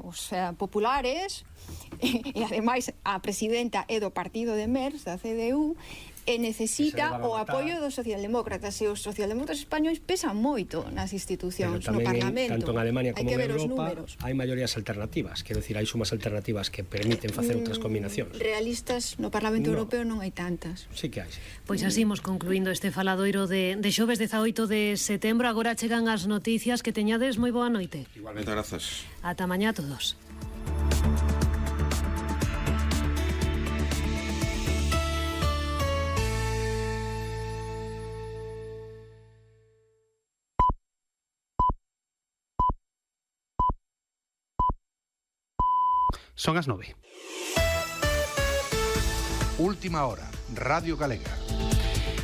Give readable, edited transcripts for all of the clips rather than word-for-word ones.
os populares, e ademais a presidenta é do partido de Merz, da CDU, e necesita o apoio dos socialdemócratas, e os socialdemócratas españois pesan moito nas institucións, no Parlamento. Tanto en Alemania como en Europa hai maiorías alternativas, quero dicir, hai sumas alternativas que permiten facer outras combinacións. Realistas no Parlamento Europeo non hai tantas. Sí que hai. Pois así imos concluindo este faladoiro de xoves 18 de setembro. Agora chegan as noticias, que teñades moi boa noite. Igualmente, grazas. Ata mañá a todos. Son as 9. Última hora, Radio Galega.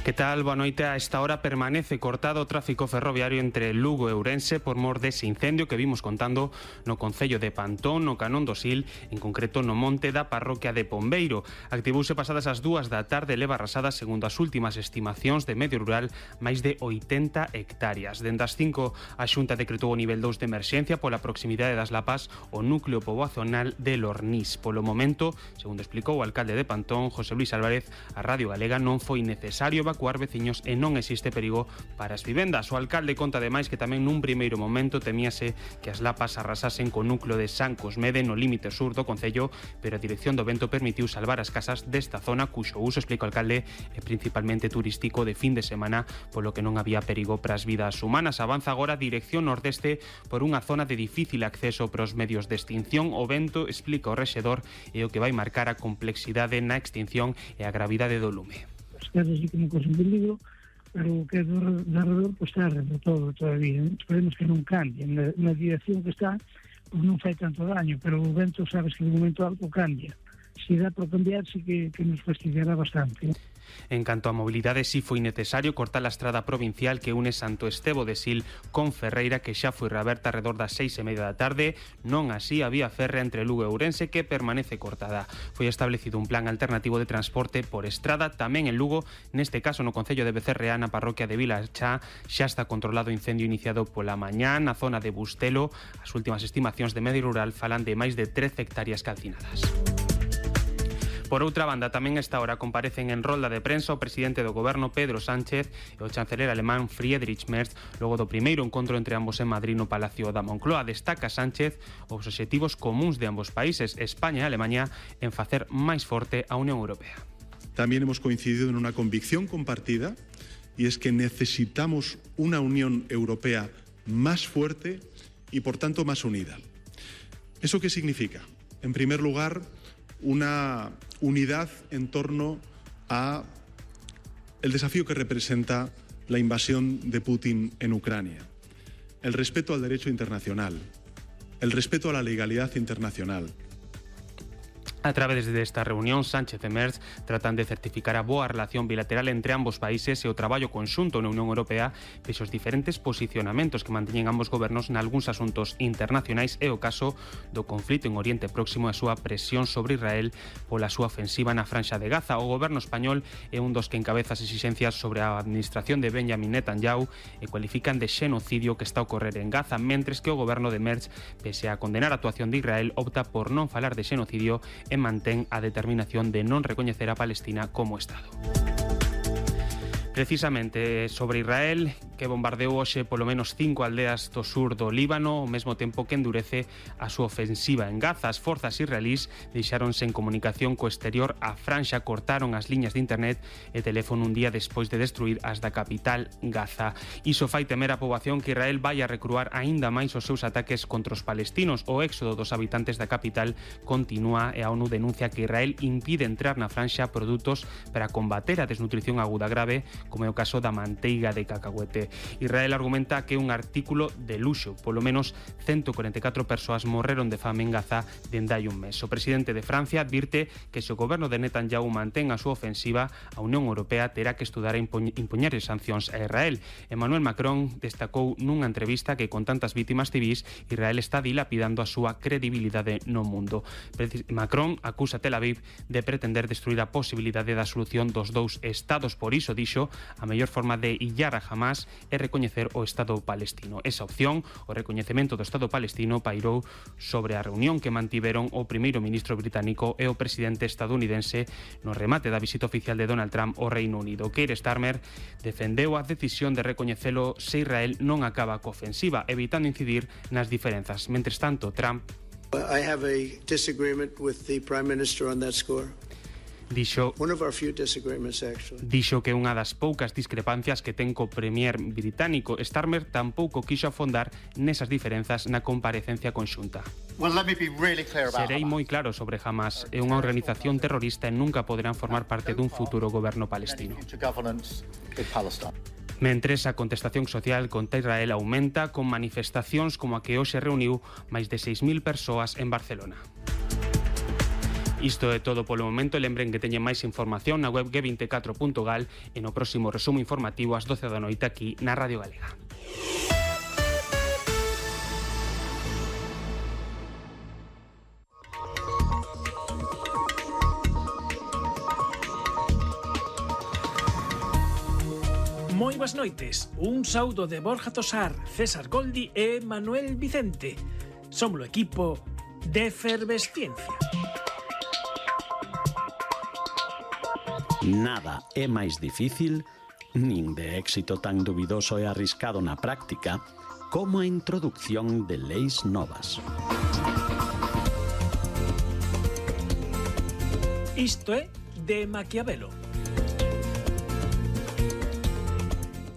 Que tal? Boa noite. A esta hora permanece cortado o tráfico ferroviario entre Lugo e Ourense por mor dese incendio que vimos contando no concello de Pantón, no Canón do Sil, en concreto no monte da parroquia de Pombeiro. Activouse pasadas as 2 da tarde, leva arrasada, segundo as últimas estimacións de medio rural, máis de 80 hectáreas. Dende as 5, a Xunta decretou o nivel 2 de emerxencia pola proximidade das Lapas o núcleo poboacional de Lornís. Polo momento, segundo explicou o alcalde de Pantón, José Luis Álvarez, a Radio Galega non foi necesario evacuar veciños e non existe perigo para as vivendas. O alcalde conta ademais que tamén nun primeiro momento temíase que as lapas arrasasen co núcleo de San Cosmede no límite sur do concello, pero a Dirección do Vento permitiu salvar as casas desta zona cuxo uso, explica o alcalde, é principalmente turístico de fin de semana, polo que non había perigo para as vidas humanas. Avanza agora a dirección nordeste por unha zona de difícil acceso para os medios de extinción. O vento, explica o rexedor, é o que vai marcar a complexidade na extinción e a gravidade do lume. As casas sí que non cosen peligro, pero o que é do alrededor está arredor todo todavía. Esperemos que non cambie. Na dirección que está, pues non fai tanto daño, pero o vento, sabes que de momento algo cambia. Se dá por cambiar, sí que nos fastidiará bastante. En canto a mobilidade, si foi necesario cortar a estrada provincial que une Santo Estevo de Sil con Ferreira, que xa foi reaberta alrededor das 6:30 da tarde. Non así a vía férrea entre Lugo e Ourense, que permanece cortada. Foi establecido un plan alternativo de transporte por estrada tamén en Lugo, neste caso no concello de Becerreá, na parroquia de Vilachá. Xa está controlado o incendio iniciado pola mañá na zona de Bustelo. As últimas estimacións de medio rural falan de máis de 13 hectáreas calcinadas. Por outra banda, tamén a esta hora comparecen en rolda de prensa o presidente do goberno Pedro Sánchez e o chanceler alemán Friedrich Merz logo do primeiro encontro entre ambos en Madrid no Palacio da Moncloa. Destaca Sánchez os obxectivos comuns de ambos países, España e Alemania, en facer máis forte a Unión Europea. También hemos coincidido en una convicción compartida, y es que necesitamos una Unión Europea más fuerte y por tanto más unida. ¿Eso qué significa? En primer lugar, una unidad en torno a el desafío que representa la invasión de Putin en Ucrania, el respeto al derecho internacional, el respeto a la legalidad internacional. A través desta reunión, Sánchez e Merz tratan de certificar a boa relación bilateral entre ambos países e o traballo conxunto na Unión Europea pese os diferentes posicionamentos que manteñen ambos gobernos nalgúns asuntos internacionais e o caso do conflito en Oriente Próximo e a súa presión sobre Israel pola súa ofensiva na Franxa de Gaza. O goberno español é un dos que encabeza as exixencias sobre a administración de Benjamin Netanyahu e cualifican de xenocidio que está a ocorrer en Gaza, mentres que o goberno de Merz, pese a condenar a actuación de Israel, opta por non falar de xenocidio e mantén a determinación de non recoñecer a Palestina como Estado. Precisamente sobre Israel, que bombardeou hoxe polo menos 5 aldeas do sur do Líbano, ao mesmo tempo que endurece a súa ofensiva en Gaza. As forzas israelís deixáronse en comunicación co exterior. A Franxa cortaron as liñas de internet e teléfono un día despois de destruir as da capital Gaza. Iso fai temer a poboación que Israel vai a recruar aínda máis os seus ataques contra os palestinos. O éxodo dos habitantes da capital continúa e a ONU denuncia que Israel impide entrar na Franxa produtos para combater a desnutrición aguda grave, como é o caso da manteiga de cacahuete. Israel argumenta que un artículo de luxo, polo menos 144 persoas morreron de fame en Gaza dende hai un mes. O presidente de Francia advirte que se o goberno de Netanyahu mantén a súa ofensiva, a Unión Europea terá que estudar a impoñer sancións a Israel. Emmanuel Macron destacou nunha entrevista que con tantas vítimas civís, Israel está dilapidando a súa credibilidade no mundo. Macron acusa a Tel Aviv de pretender destruir a posibilidade da solución dos dous estados. Por iso, dixo, a mellor forma de illar a Hamas e recoñecer o Estado palestino. Esa opción, o recoñecemento do Estado palestino, pairou sobre a reunión que mantiveron o primeiro ministro británico e o presidente estadounidense no remate da visita oficial de Donald Trump ao Reino Unido. Keir Starmer defendeu a decisión de recoñecelo se Israel non acaba coa ofensiva, evitando incidir nas diferenzas. Mentres tanto, Trump dixo que unha das poucas discrepancias que ten co premier británico. Starmer tampouco quixo afondar nesas diferenzas na comparecencia conxunta. Serei moi claro sobre Hamas. É unha organización terrorista e nunca poderán formar parte dun futuro goberno palestino. Mentres a contestación social contra Israel aumenta con manifestacións como a que hoxe reuniu máis de 6.000 persoas en Barcelona. Isto é todo polo momento. Lembren que teñen máis información na web g24.gal e no próximo resumo informativo ás 12 da noite aquí na Radio Galega. Moi boas noites. Un saúdo de Borja Tosar, César Goldi e Manuel Vicente. Somos o equipo de Efervesciencia. Nada é máis difícil, nin de éxito tan dubidoso e arriscado na práctica, como a introducción de leis novas. Isto é de Maquiavelo.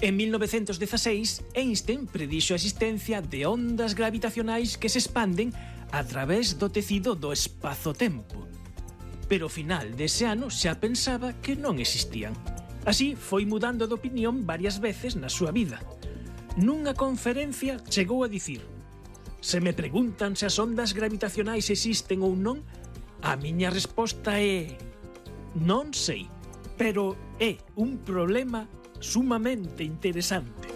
En 1916, Einstein predixo a existencia de ondas gravitacionais que se expanden a través do tecido do espazo-tempo. Pero ao final dese ano xa pensaba que non existían. Así foi mudando de opinión varias veces na súa vida. Nunha conferencia chegou a dicir: se me preguntan se as ondas gravitacionais existen ou non, a miña resposta é: non sei, pero é un problema sumamente interesante.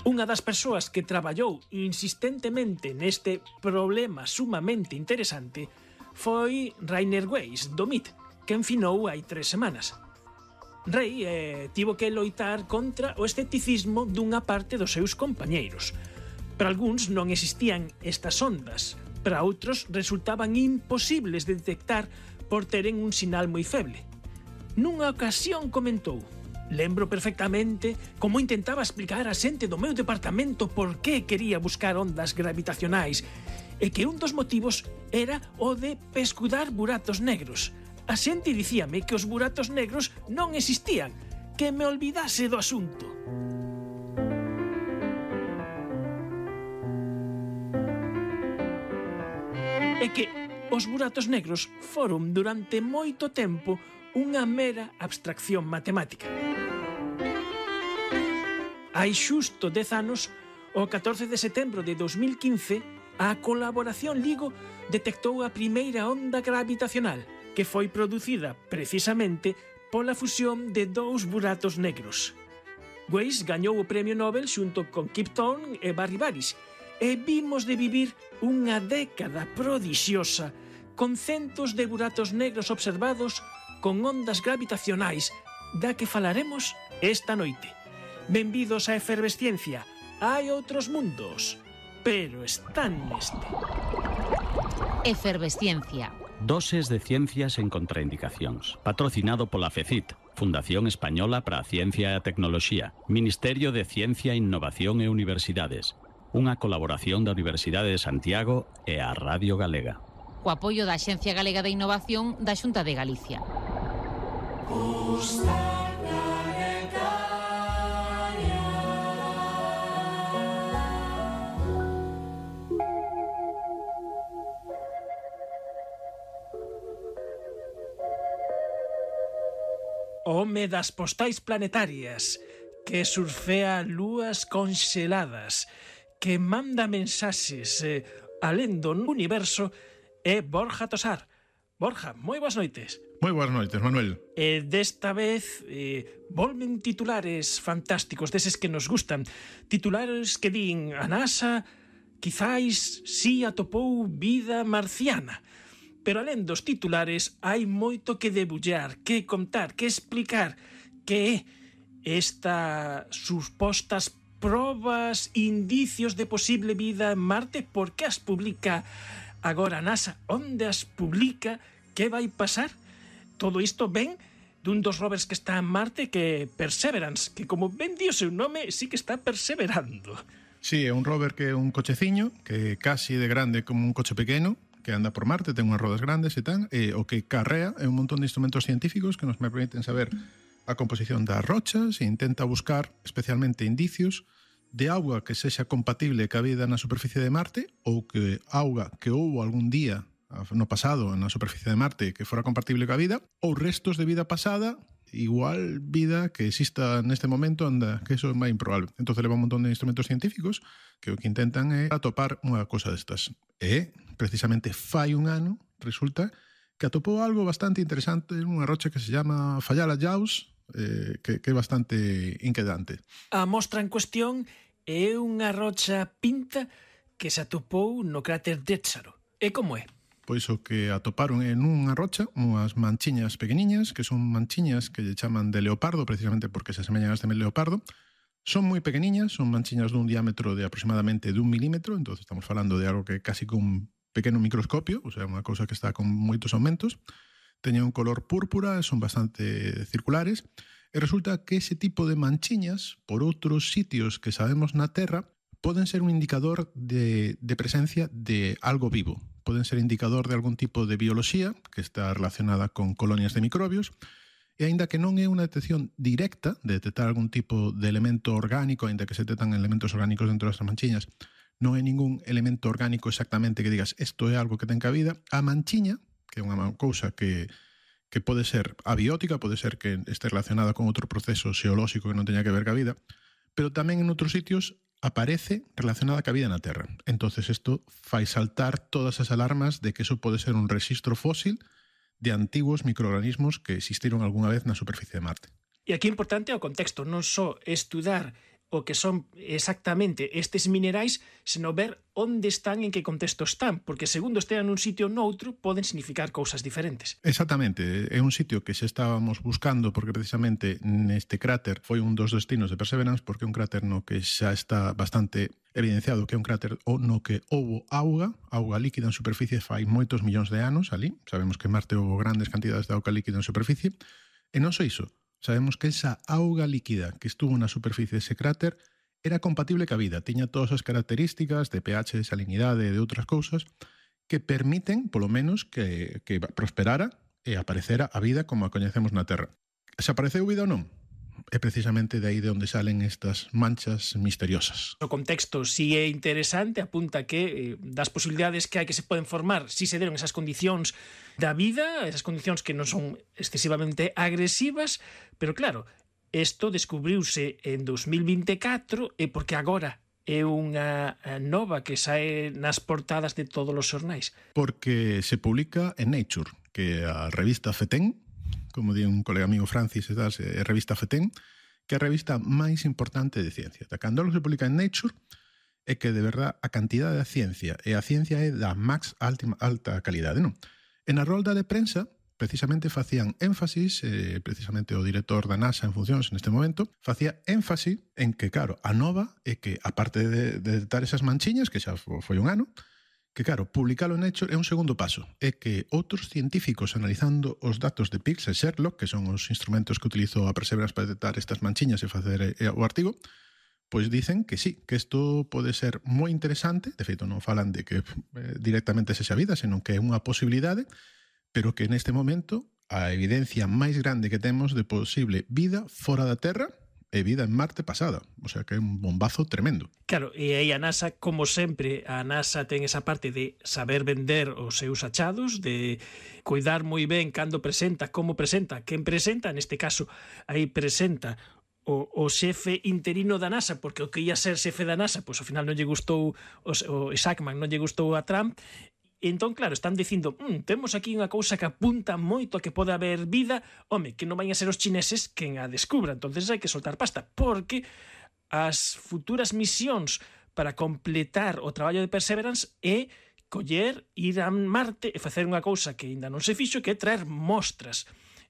Unha das persoas que traballou insistentemente neste problema sumamente interesante foi Rainer Weiss, do MIT, que enfinou hai 3 semanas. Rei tivo que loitar contra o escepticismo dunha parte dos seus compañeiros. Para algúns non existían estas ondas, para outros resultaban imposibles de detectar por teren un sinal moi feble. Nunha ocasión comentou: lembro perfectamente como intentaba explicar a xente do meu departamento por que quería buscar ondas gravitacionais e que un dos motivos era o de pescudar buratos negros. A xente dicíame que os buratos negros non existían, que me olvidase do asunto. E que os buratos negros foron durante moito tempo unha mera abstracción matemática. Hai xusto 10 anos, o 14 de setembro de 2015, a colaboración LIGO detectou a primeira onda gravitacional, que foi producida precisamente pola fusión de 2 buratos negros. Weiss gañou o premio Nobel xunto con Kip Thorne e Barry Barish, e vimos de vivir unha década prodixiosa con centos de buratos negros observados con ondas gravitacionais, da que falaremos esta noite. Benvidos á Efervesciencia. Hai outros mundos, pero están neste. Efervesciencia. Doses de ciencias en contraindicacións. Patrocinado pola FECIT, Fundación Española para a Ciencia e a Tecnoloxía, Ministerio de Ciencia, Innovación e Universidades. Unha colaboración da Universidade de Santiago e a Radio Galega. Co apoio da Axencia Galega de Innovación da Xunta de Galicia. Home das postais planetarias, que surfea lúas conxeladas, que manda mensaxes alén do universo, é Borja Tosar. Borja, moi boas noites. Moi boas noites, Manuel. Desta vez volven titulares fantásticos, deses que nos gustan. Titulares que din: a NASA quizáis si atopou vida marciana. Pero alén dos titulares hai moito que debullar, que contar, que explicar, que é estas supostas probas, indicios de posible vida en Marte? Por que as publica agora a NASA? Onde as publica? Que vai pasar? Todo isto ven dun dos rovers que está en Marte, que é Perseverance, que como ben di o seu nome, sí que está perseverando. Sí, é un rover que é un cocheciño, que é casi de grande como un coche pequeno, que anda por Marte, ten unhas rodas grandes e tal, e o que carrea é un montón de instrumentos científicos que nos permiten saber a composición das rochas e intenta buscar especialmente indicios de auga que sexa compatible ca vida na superficie de Marte ou que auga que houbo algún día no pasado na superficie de Marte que fora compatible ca vida ou restos de vida pasada, igual vida que exista neste momento, anda, que eso é máis improbable. Entón leva un montón de instrumentos científicos que o que intentan é atopar unha cosa destas. E precisamente fai un ano resulta que atopou algo bastante interesante nunha rocha que se llama Fayala Jaws, que é bastante inquietante. A mostra en cuestión é unha rocha pinta que se atopou no cráter Déxaro. E como é? Pois o que atoparon en unha rocha unhas manchiñas pequeniñas, que son manchiñas que lle chaman de leopardo, precisamente porque se asemellan a este leopardo. Son moi pequeniñas, son manchiñas dun diámetro de aproximadamente 1 milímetro, entón estamos falando de algo que é casi con un pequeno microscopio, o sea, unha cousa que está con moitos aumentos. Teñen un color púrpura, son bastante circulares, e resulta que ese tipo de manchiñas, por outros sitios que sabemos na Terra, poden ser un indicador de presencia de algo vivo. Poden ser indicador de algún tipo de bioloxía que está relacionada con colonias de microbios, e aínda que non é unha detección directa de detectar algún tipo de elemento orgánico, aínda que se detectan elementos orgánicos dentro das manchiñas, non hai ningún elemento orgánico exactamente que digas isto é algo que ten cabida, a manchiña, que é unha cousa que pode ser abiótica, pode ser que este relacionada con outro proceso xeolóxico que non teña que ver ca vida, pero tamén en outros sitios aparece relacionada ca vida na Terra. Entonces isto fai saltar todas as alarmas de que eso pode ser un rexistro fósil de antigos microorganismos que existiron algunha vez na superficie de Marte. E aquí é importante o contexto, non só estudar o que son exactamente estes minerais, senón ver onde están e en que contexto están, porque segundo estean nun sitio ou noutro, poden significar cousas diferentes. Exactamente, é un sitio que xa estábamos buscando, porque precisamente neste cráter foi un dos destinos de Perseverance, porque é un cráter no que xa está bastante evidenciado que é un cráter no que houbo auga líquida en superficie fai moitos millóns de anos ali. Sabemos que en Marte houbo grandes cantidades de auga líquida en superficie, e non só iso, sabemos que esa auga líquida que estuvo na superficie dese cráter era compatible ca vida, tiña todas as características de pH, de salinidade e de outras cousas que permiten, polo menos, que prosperara e aparecera a vida como a coñecemos na Terra. Se apareceu vida ou non? É precisamente de aí de onde salen estas manchas misteriosas. O contexto si é interesante, apunta que das posibilidades que hai que se poden formar si se deron esas condicións da vida, esas condicións que non son excesivamente agresivas, pero claro, isto descubriuse en 2024 e porque agora é unha nova que sae nas portadas de todos os xornais. Porque se publica en Nature, que é a revista FETEN, como di un colega amigo Francis, é a revista FETEN, que é a revista máis importante de ciencia. Cando algo se publica en Nature, é que de verdad a cantidade da ciencia, e a ciencia é da máis alta calidade, non? En a rolda de prensa, precisamente facían énfasis, precisamente o director da NASA en funcións neste momento, facía énfasis en que, claro, a nova é que, aparte de detectar esas manchiñas, que xa foi un ano, que, claro, publicalo en Nature é un segundo paso. É que outros científicos analizando os datos de PIX e Sherlock, que son os instrumentos que utilizou a Perseverance para detectar estas manchiñas e facer o artigo, pois dicen que sí, que isto pode ser moi interesante. De feito, non falan de que directamente sexa vida, senón que é unha posibilidade, pero que neste momento a evidencia máis grande que temos de posible vida fora da Terra e vida en Marte pasada, o sea que é un bombazo tremendo. Claro, e aí a NASA, como sempre, a NASA ten esa parte de saber vender os seus achados, de cuidar moi ben cando presenta, como presenta, quen presenta, neste caso, aí presenta o xefe interino da NASA, porque o que ia ser xefe da NASA, pois ao final non lle gustou o Shackman, non lle gustou a Trump. Entón, claro, están dicindo temos aquí unha cousa que apunta moito a que pode haber vida, home, que non vayan a ser os chineses quen a descubra, entonces hai que soltar pasta, porque as futuras misións para completar o traballo de Perseverance é coller, ir a Marte e facer unha cousa que ainda non se fixo, que é traer mostras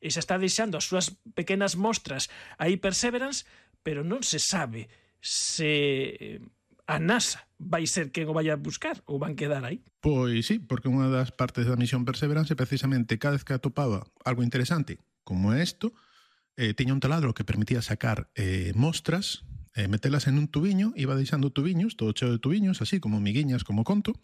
e xa está deixando as súas pequenas mostras aí Perseverance, pero non se sabe se a NASA vai ser quen o vai a buscar ou van quedar aí. Pois sí, porque unha das partes da misión Perseverance precisamente cada vez que atopaba algo interesante como isto, tiña un taladro que permitía sacar mostras, metelas en un tubiño, iba deixando tubiños, todo cheo de tubiños, así como miguiñas, como conto,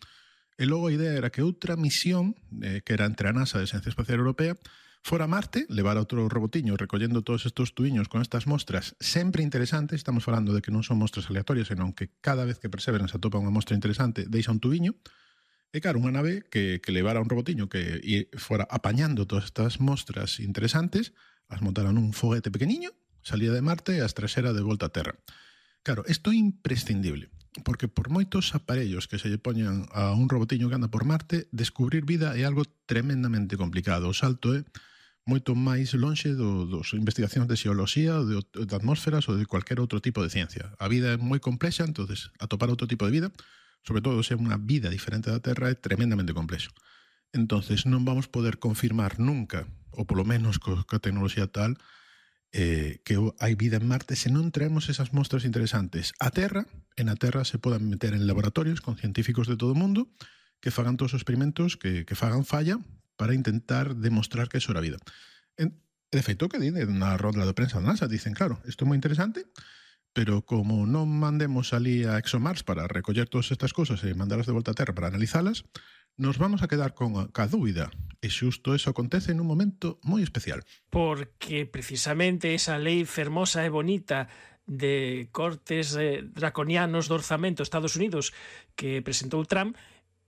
e logo a idea era que outra misión, que era entre a NASA e a Agencia Espacial Europea, fora a Marte, levar outro robotiño recollendo todos estes tubiños con estas mostras sempre interesantes. Estamos falando de que non son mostras aleatorias, senón que cada vez que Perseverance atopa unha mostra interesante deixa un tubiño, e claro, unha nave que levara un robotiño que fora apañando todas estas mostras interesantes, as montara nun foguete pequeniño, salía de Marte e as trasera de volta a Terra. Claro, isto é imprescindible, porque por moitos aparellos que se lle poñan a un robotiño que anda por Marte, descubrir vida é algo tremendamente complicado. O salto é moito máis lonxe dos investigacións de xeoloxía, de atmósferas ou de cualquier outro tipo de ciencia. A vida é moi complexa, entonces atopar outro tipo de vida, sobre todo se é unha vida diferente da Terra, é tremendamente complexo. Entonces non vamos poder confirmar nunca, ou polo menos coa tecnoloxía tal, que hai vida en Marte se non traemos esas mostras interesantes a Terra. En a Terra se poden meter en laboratorios con científicos de todo o mundo que fagan todos os experimentos que fagan falla para intentar demostrar que eso era vida. De feito, que dicen na ronda de prensa da NASA, dicen, claro, isto é moi interesante, pero como non mandemos ali a ExoMars para recoller todas estas cosas e mandalas de volta a Terra para analizalas, nos vamos a quedar con a dúbida. E xusto eso acontece nun momento moi especial. Porque precisamente esa lei fermosa e bonita de cortes draconianos do orzamento de Estados Unidos que presentou Trump,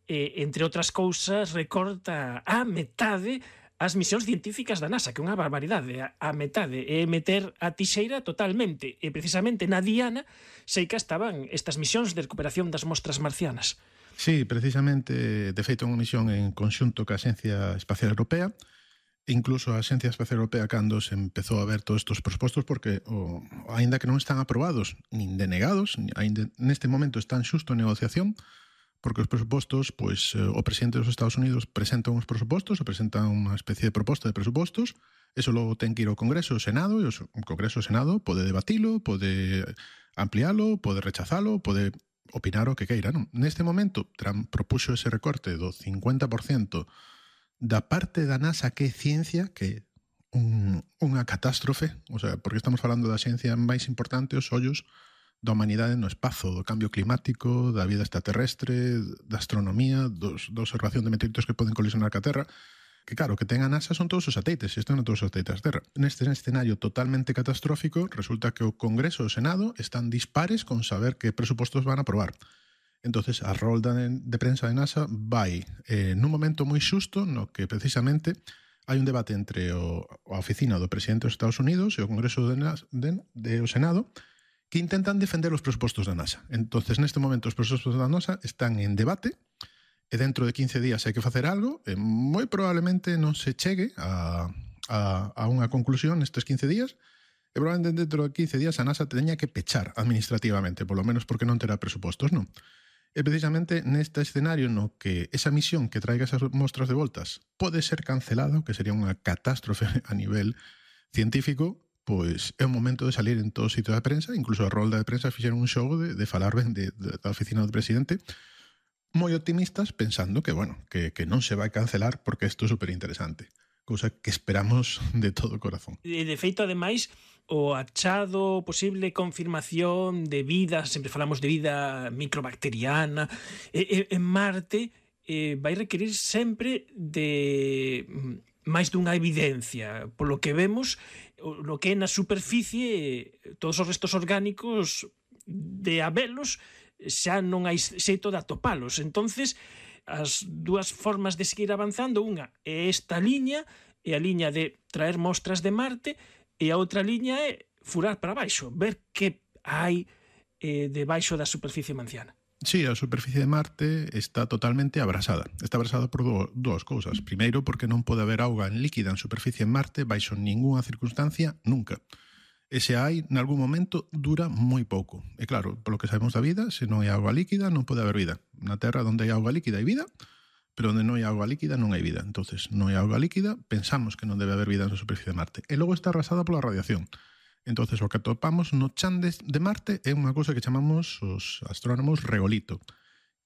entre outras cousas, recorta a metade as misións científicas da NASA, que é unha barbaridade, a metade, é meter a tixeira totalmente, e precisamente na Diana sei que estaban estas misións de recuperación das mostras marcianas. Sí, precisamente, de feito, unha misión en conxunto ca Agencia Espacial Europea, incluso a Agencia Espacial Europea cando se empezou a ver todos estes propostos, porque aínda que non están aprobados nin denegados, neste momento están xusto en negociación, porque os presupostos, pois, o presidente dos Estados Unidos presenta uns presupostos, presenta unha especie de proposta de presupostos, eso logo ten que ir ao Congreso e ao Senado, e o Congreso e o Senado pode debatilo, pode ampliálo, pode rechazalo, pode opinar o que queira, non? Neste momento, Trump propuxo ese recorte do 50% da parte da NASA que é ciencia, que é unha catástrofe, o sea, porque estamos falando da ciencia máis importante, os ollos da humanidade no espazo, do cambio climático, da vida extraterrestre, da astronomía, da observación de meteoritos que poden colisionar ca Terra, que claro, que ten a NASA son todos os satélites, e están todos os satélites da Terra. Neste escenario totalmente catastrófico, resulta que o Congreso e o Senado están dispares con saber que presupostos van a aprobar. Entonces, a rolda de prensa de NASA vai nun momento moi xusto no que precisamente hai un debate entre a oficina do presidente dos Estados Unidos e o Congreso o Senado, que intentan defender os presupostos da NASA. Entonces, neste momento, os presupostos da NASA están en debate, e dentro de 15 días hai que facer algo, e moi probablemente non se chegue a unha conclusión nestes 15 días, e probablemente dentro de 15 días a NASA teña que pechar administrativamente, polo menos porque non terá presupostos, non? E precisamente neste escenario no que esa misión que traiga esas mostras de voltas pode ser cancelada, o que sería unha catástrofe a nivel científico, pois é o momento de salir en todo sitio da prensa, incluso a rolda de prensa fixeron un xogo de falar ben da oficina do presidente, moi optimistas, pensando que, bueno, que non se vai cancelar porque isto é superinteresante, cousa que esperamos de todo corazón. E de feito, ademais, o achado, posible confirmación de vida, sempre falamos de vida microbacteriana, en Marte vai requerir sempre de máis dunha evidencia. Polo que vemos, lo que é na superficie, todos os restos orgánicos de habelos, xa non hai xeito de atopalos. Entonces, as dúas formas de seguir avanzando, unha é esta liña, é a liña de traer mostras de Marte, e a outra liña é furar para baixo, ver que hai debaixo da superficie marciana. Sí, a superficie de Marte está totalmente abrasada. Está abrasada por dúas cousas. Primeiro, porque non pode haber auga en líquida en superficie en Marte baixo ninguna circunstancia nunca. E se hai, nalgún momento, dura moi pouco. E claro, polo que sabemos da vida, se non hai auga líquida, non pode haber vida. Na Terra, onde hai auga líquida hai vida, pero onde non hai auga líquida non hai vida. Entonces, non hai auga líquida, pensamos que non debe haber vida na superficie de Marte. E logo está arrasada pola radiación. Entonces, o que atopamos no chan de Marte é unha cousa que chamamos os astrónomos regolito,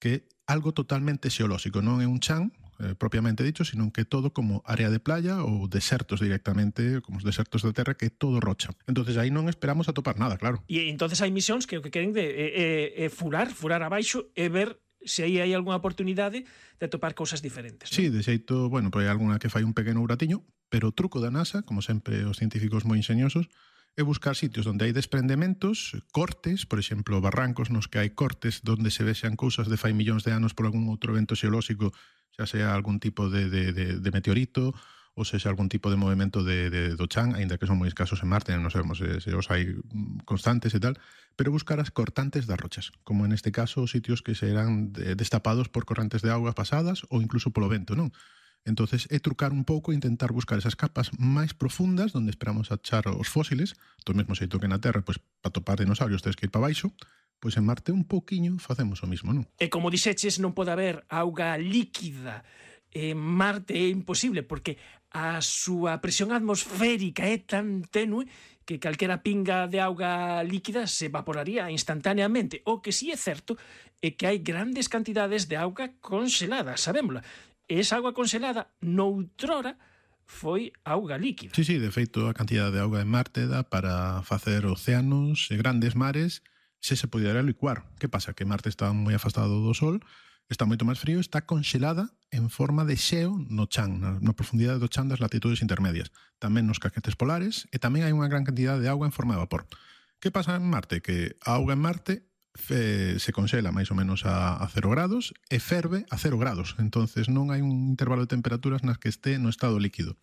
que é algo totalmente xeolóxico, non é un chan propiamente dicho, sino que todo como área de playa ou desertos directamente, como os desertos da Terra, que é todo rocha. Entonces aí non esperamos atopar nada, claro. E entonces hai misións que o que queren é furar abaixo e ver se aí hai algunha oportunidade de atopar cousas diferentes. Sí, de xeito, bueno, pois hai algunha que fai un pequeno uratiño, pero o truco da NASA, como sempre os científicos moi enxeñosos, é buscar sitios onde hai desprendementos, cortes, por exemplo, barrancos nos que hai cortes onde se vexan cousas de fai millóns de anos por algún outro evento xeolóxico, xa sea algún tipo de meteorito ou sexa algún tipo de movimento do chan, aínda que son moi escasos en Marte, non sabemos se os hai constantes e tal, pero buscar as cortantes das rochas, como en este caso os sitios que serán destapados por correntes de auga pasadas ou incluso polo vento, non? Entonces é trucar un pouco e intentar buscar esas capas máis profundas onde esperamos achar os fósiles, do mesmo xeito que na Terra, pois para topar dinosaurios tens que ir para baixo, pois en Marte un pouquiño facemos o mismo, non? E como dixeches, non pode haber auga líquida en Marte, é imposible, porque a súa presión atmosférica é tan tenue que calquera pinga de auga líquida se evaporaría instantáneamente. O que sí é certo é que hai grandes cantidades de auga congelada, sabémola. E esa auga congelada noutrora foi auga líquida. Sí, de feito, a cantidad de auga en Marte dá para facer océanos e grandes mares se pudera licuar. Que pasa? Que Marte está moi afastado do Sol, está moito máis frío, está congelada en forma de xeo no chan, na profundidade do chan das latitudes intermedias. Tamén nos caquetes polares, e tamén hai unha gran cantidad de auga en forma de vapor. Que pasa en Marte? Que a auga en Marte se conxela máis ou menos a 0 grados e ferve a 0 grados. Entonces non hai un intervalo de temperaturas nas que este no estado líquido,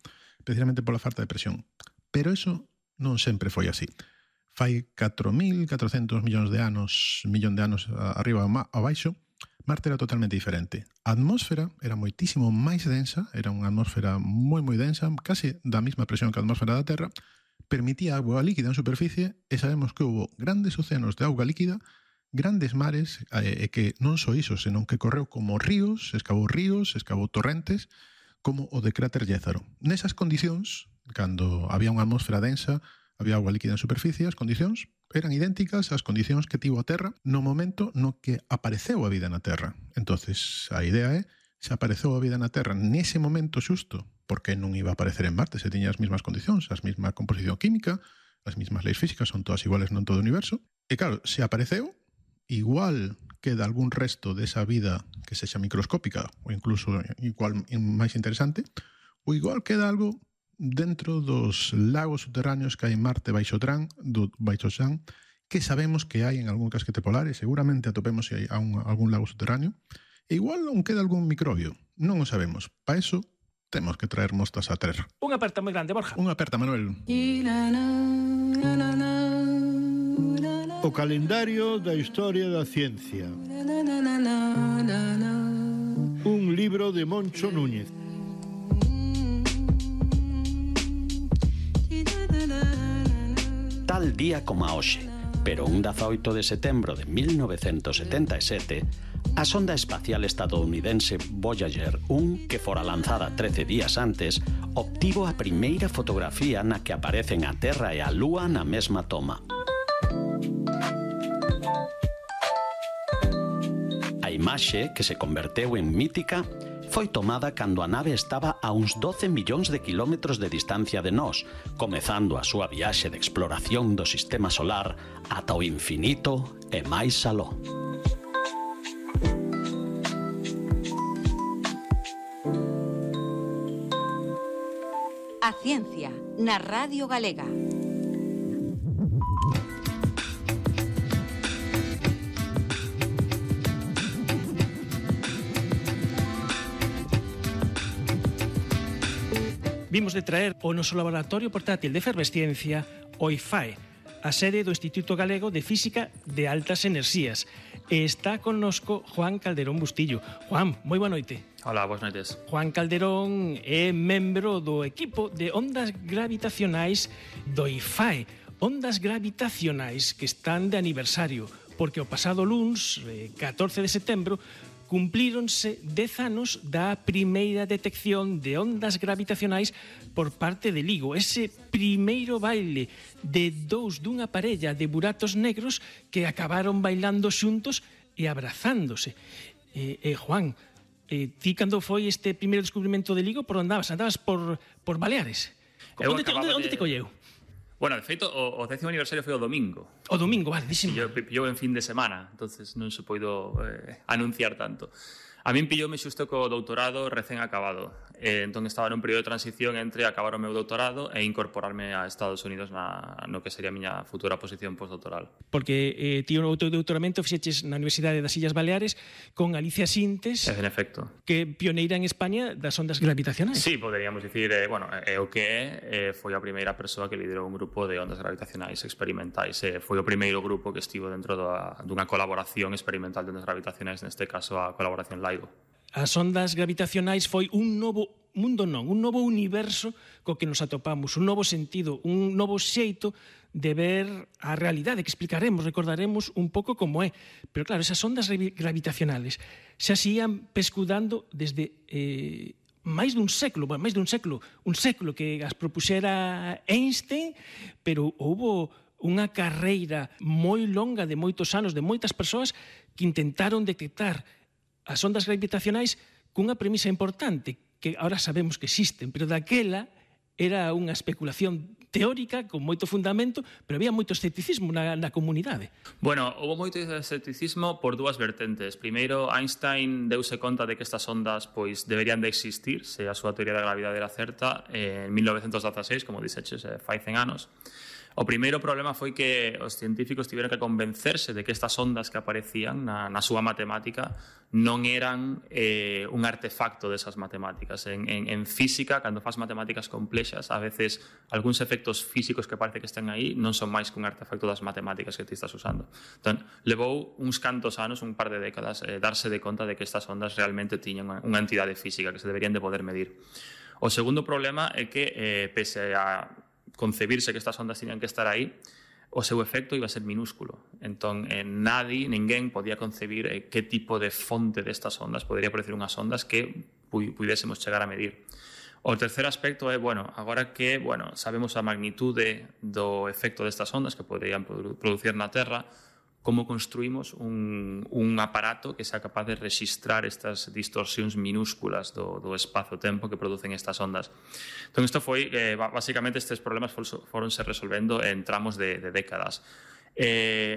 precisamente pola falta de presión. Pero eso non sempre foi así. Fai 4.400 millón de anos arriba a baixo, Marte era totalmente diferente. A atmósfera era moitísimo máis densa, era unha atmósfera moi densa, case da mesma presión que a atmósfera da Terra, permitía agua líquida en superficie, e sabemos que houve grandes océanos de auga líquida, grandes mares, e que non só iso, senón que correu como ríos, escavou torrentes, como o de cráter Llézaro. Nesas condicións, cando había unha atmósfera densa, había auga líquida en superficie, as condicións eran idénticas ás condicións que tivo a Terra no momento no que apareceu a vida na Terra. Entonces, a idea é, se apareceu a vida na Terra nese momento xusto, porque non iba a aparecer en Marte se tiña as mesmas condicións, as mesma composición química, as mesmas leis físicas, son todas iguales non todo o universo. E claro, se apareceu, igual queda algún resto desa vida que sexa microscópica ou incluso igual máis interesante, ou igual queda algo dentro dos lagos subterráneos que hai en Marte baixo chan, que sabemos que hai en algún casquete polar e seguramente atopemos se hai algún lago subterráneo, e igual non queda algún microbio, non o sabemos. Para eso temos que traer mostras á Terra. Unha aperta moi grande, Borja. Unha aperta, Manuel. O calendario da historia da ciencia. Un libro de Moncho Núñez. Tal día como a hoxe, pero un 18 de setembro de 1977, a sonda espacial estadounidense Voyager 1, que fora lanzada 13 días antes, obtivo a primeira fotografía na que aparecen a Terra e a Lúa na mesma toma. A imaxe, que se converteu en mítica, foi tomada cando a nave estaba a uns 12 millóns de kilómetros de distancia de nós, comezando a súa viaxe de exploración do sistema solar ata o infinito e máis aló. A ciencia na Radio Galega. Vimos de traer o noso laboratorio portátil de efervesciencia, o IFAE, a sede do Instituto Galego de Física de Altas Enerxías. E está connosco Juan Calderón Bustillo. Juan, moi boa noite. Hola, boas noites. Juan Calderón é membro do equipo de ondas gravitacionais do IFAE. Ondas gravitacionais que están de aniversario, porque o pasado luns, 14 de setembro, cumplíronse 10 anos da primeira detección de ondas gravitacionais por parte de LIGO, ese primeiro baile de dous dunha parella de buratos negros que acabaron bailando xuntos e abrazándose. Juan, ti cando foi este primeiro descubrimento de LIGO, por onde andabas? Andabas por Baleares? Onde te colleu? Bueno, de feito, o 10º aniversario foi o domingo. O domingo, vale, dísimo. Pillou en fin de semana, entonces non se poido anunciar tanto. A min pilloume xusto co doutorado recén acabado. Entón estaba nun período de transición entre acabar o meu doutorado e incorporarme a Estados Unidos no que sería a miña futura posición postdoctoral. Porque ti o teu doutoramento fixeches na Universidade das Illas Baleares con Alicia Sintes, en efecto, que pioneira en España das ondas gravitacionais. Sí, poderíamos dicir, o que foi a primeira persoa que liderou un grupo de ondas gravitacionais experimentais. Foi o primeiro grupo que estivo dentro dunha colaboración experimental de ondas gravitacionais, neste caso a colaboración LIGO. As ondas gravitacionais foi un novo mundo, un novo universo co que nos atopamos, un novo sentido, un novo xeito de ver a realidade, que explicaremos, recordaremos un pouco como é. Pero claro, esas ondas gravitacionales xa se ian pescudando desde máis dun século, un século que as propuxera Einstein, pero houbo unha carreira moi longa de moitos anos, de moitas persoas que intentaron detectar as ondas gravitacionais cunha premisa importante, que ahora sabemos que existen, pero daquela era unha especulación teórica con moito fundamento, pero había moito escepticismo na comunidade. Bueno, houve moito escepticismo por dúas vertentes. Primeiro, Einstein deuse conta de que estas ondas pois deberían de existir, se a súa teoría da gravidade era certa, en 1916, como dixeches, fai 100 anos. O primeiro problema foi que os científicos tiveron que convencerse de que estas ondas que aparecían na súa matemática non eran un artefacto desas matemáticas. En física, cando faz matemáticas complexas, a veces algúns efectos físicos que parece que están aí non son máis que un artefacto das matemáticas que ti estás usando. Entón, levou uns cantos anos, un par de décadas, darse de conta de que estas ondas realmente tiñan unha entidade física que se deberían de poder medir. O segundo problema é que, pese a concebirse que estas ondas tiñan que estar aí, o seu efecto iba a ser minúsculo. Entón, ninguén podía concebir que tipo de fonte destas ondas podería producir unhas ondas que pudésemos chegar a medir. O terceiro aspecto é, agora que sabemos a magnitude do efecto destas ondas que poderían producir na Terra, como construímos un aparato que sea capaz de registrar estas distorsións minúsculas do espazo-tempo que producen estas ondas. Entón, isto foi, basicamente, estes problemas foronse resolvendo en tramos de décadas.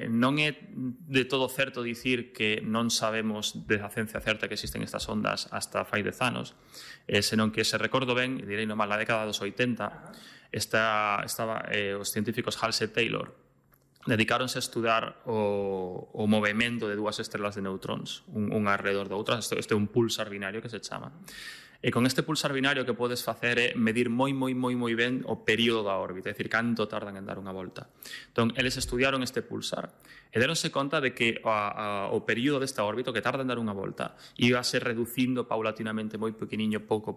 Non é de todo certo dicir que non sabemos de a ciencia certa que existen estas ondas hasta fai 10 anos, senón que, se recordo ben, direi nomás, na década dos 80, os científicos Halsey e Taylor dedicáronse a estudar o movimento de dúas estrelas de neutróns, unha alrededor da outra. Este é un pulsar binario que se chama. E con este pulsar binario que podes facer é medir moi ben o período da órbita, é dicir, canto tardan en dar unha volta. Entón, eles estudiaron este pulsar e deronse conta de que o período desta órbita, que tarda en dar unha volta, iba a ser reducindo paulatinamente moi pequeniño, pouco.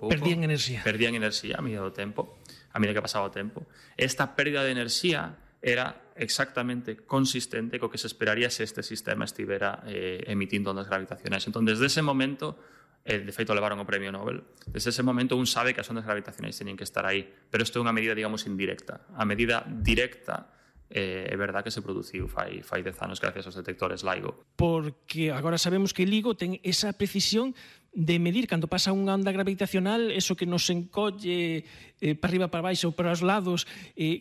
Perdían enerxía a medida do tempo, a medida que pasaba o tempo. Esta pérdida de enerxía era exactamente consistente co que se esperaría se este sistema estivera emitindo ondas gravitacionais. Entón, desde ese momento, de feito levaron o premio Nobel, desde ese momento un sabe que as ondas gravitacionais teñen que estar aí, pero isto é unha medida, digamos, indirecta. A medida directa é verdad que se produciu fai 10 anos gracias aos detectores LIGO. Porque agora sabemos que LIGO ten esa precisión de medir cando pasa unha onda gravitacional, eso que nos encolle para arriba, para baixo, para os lados.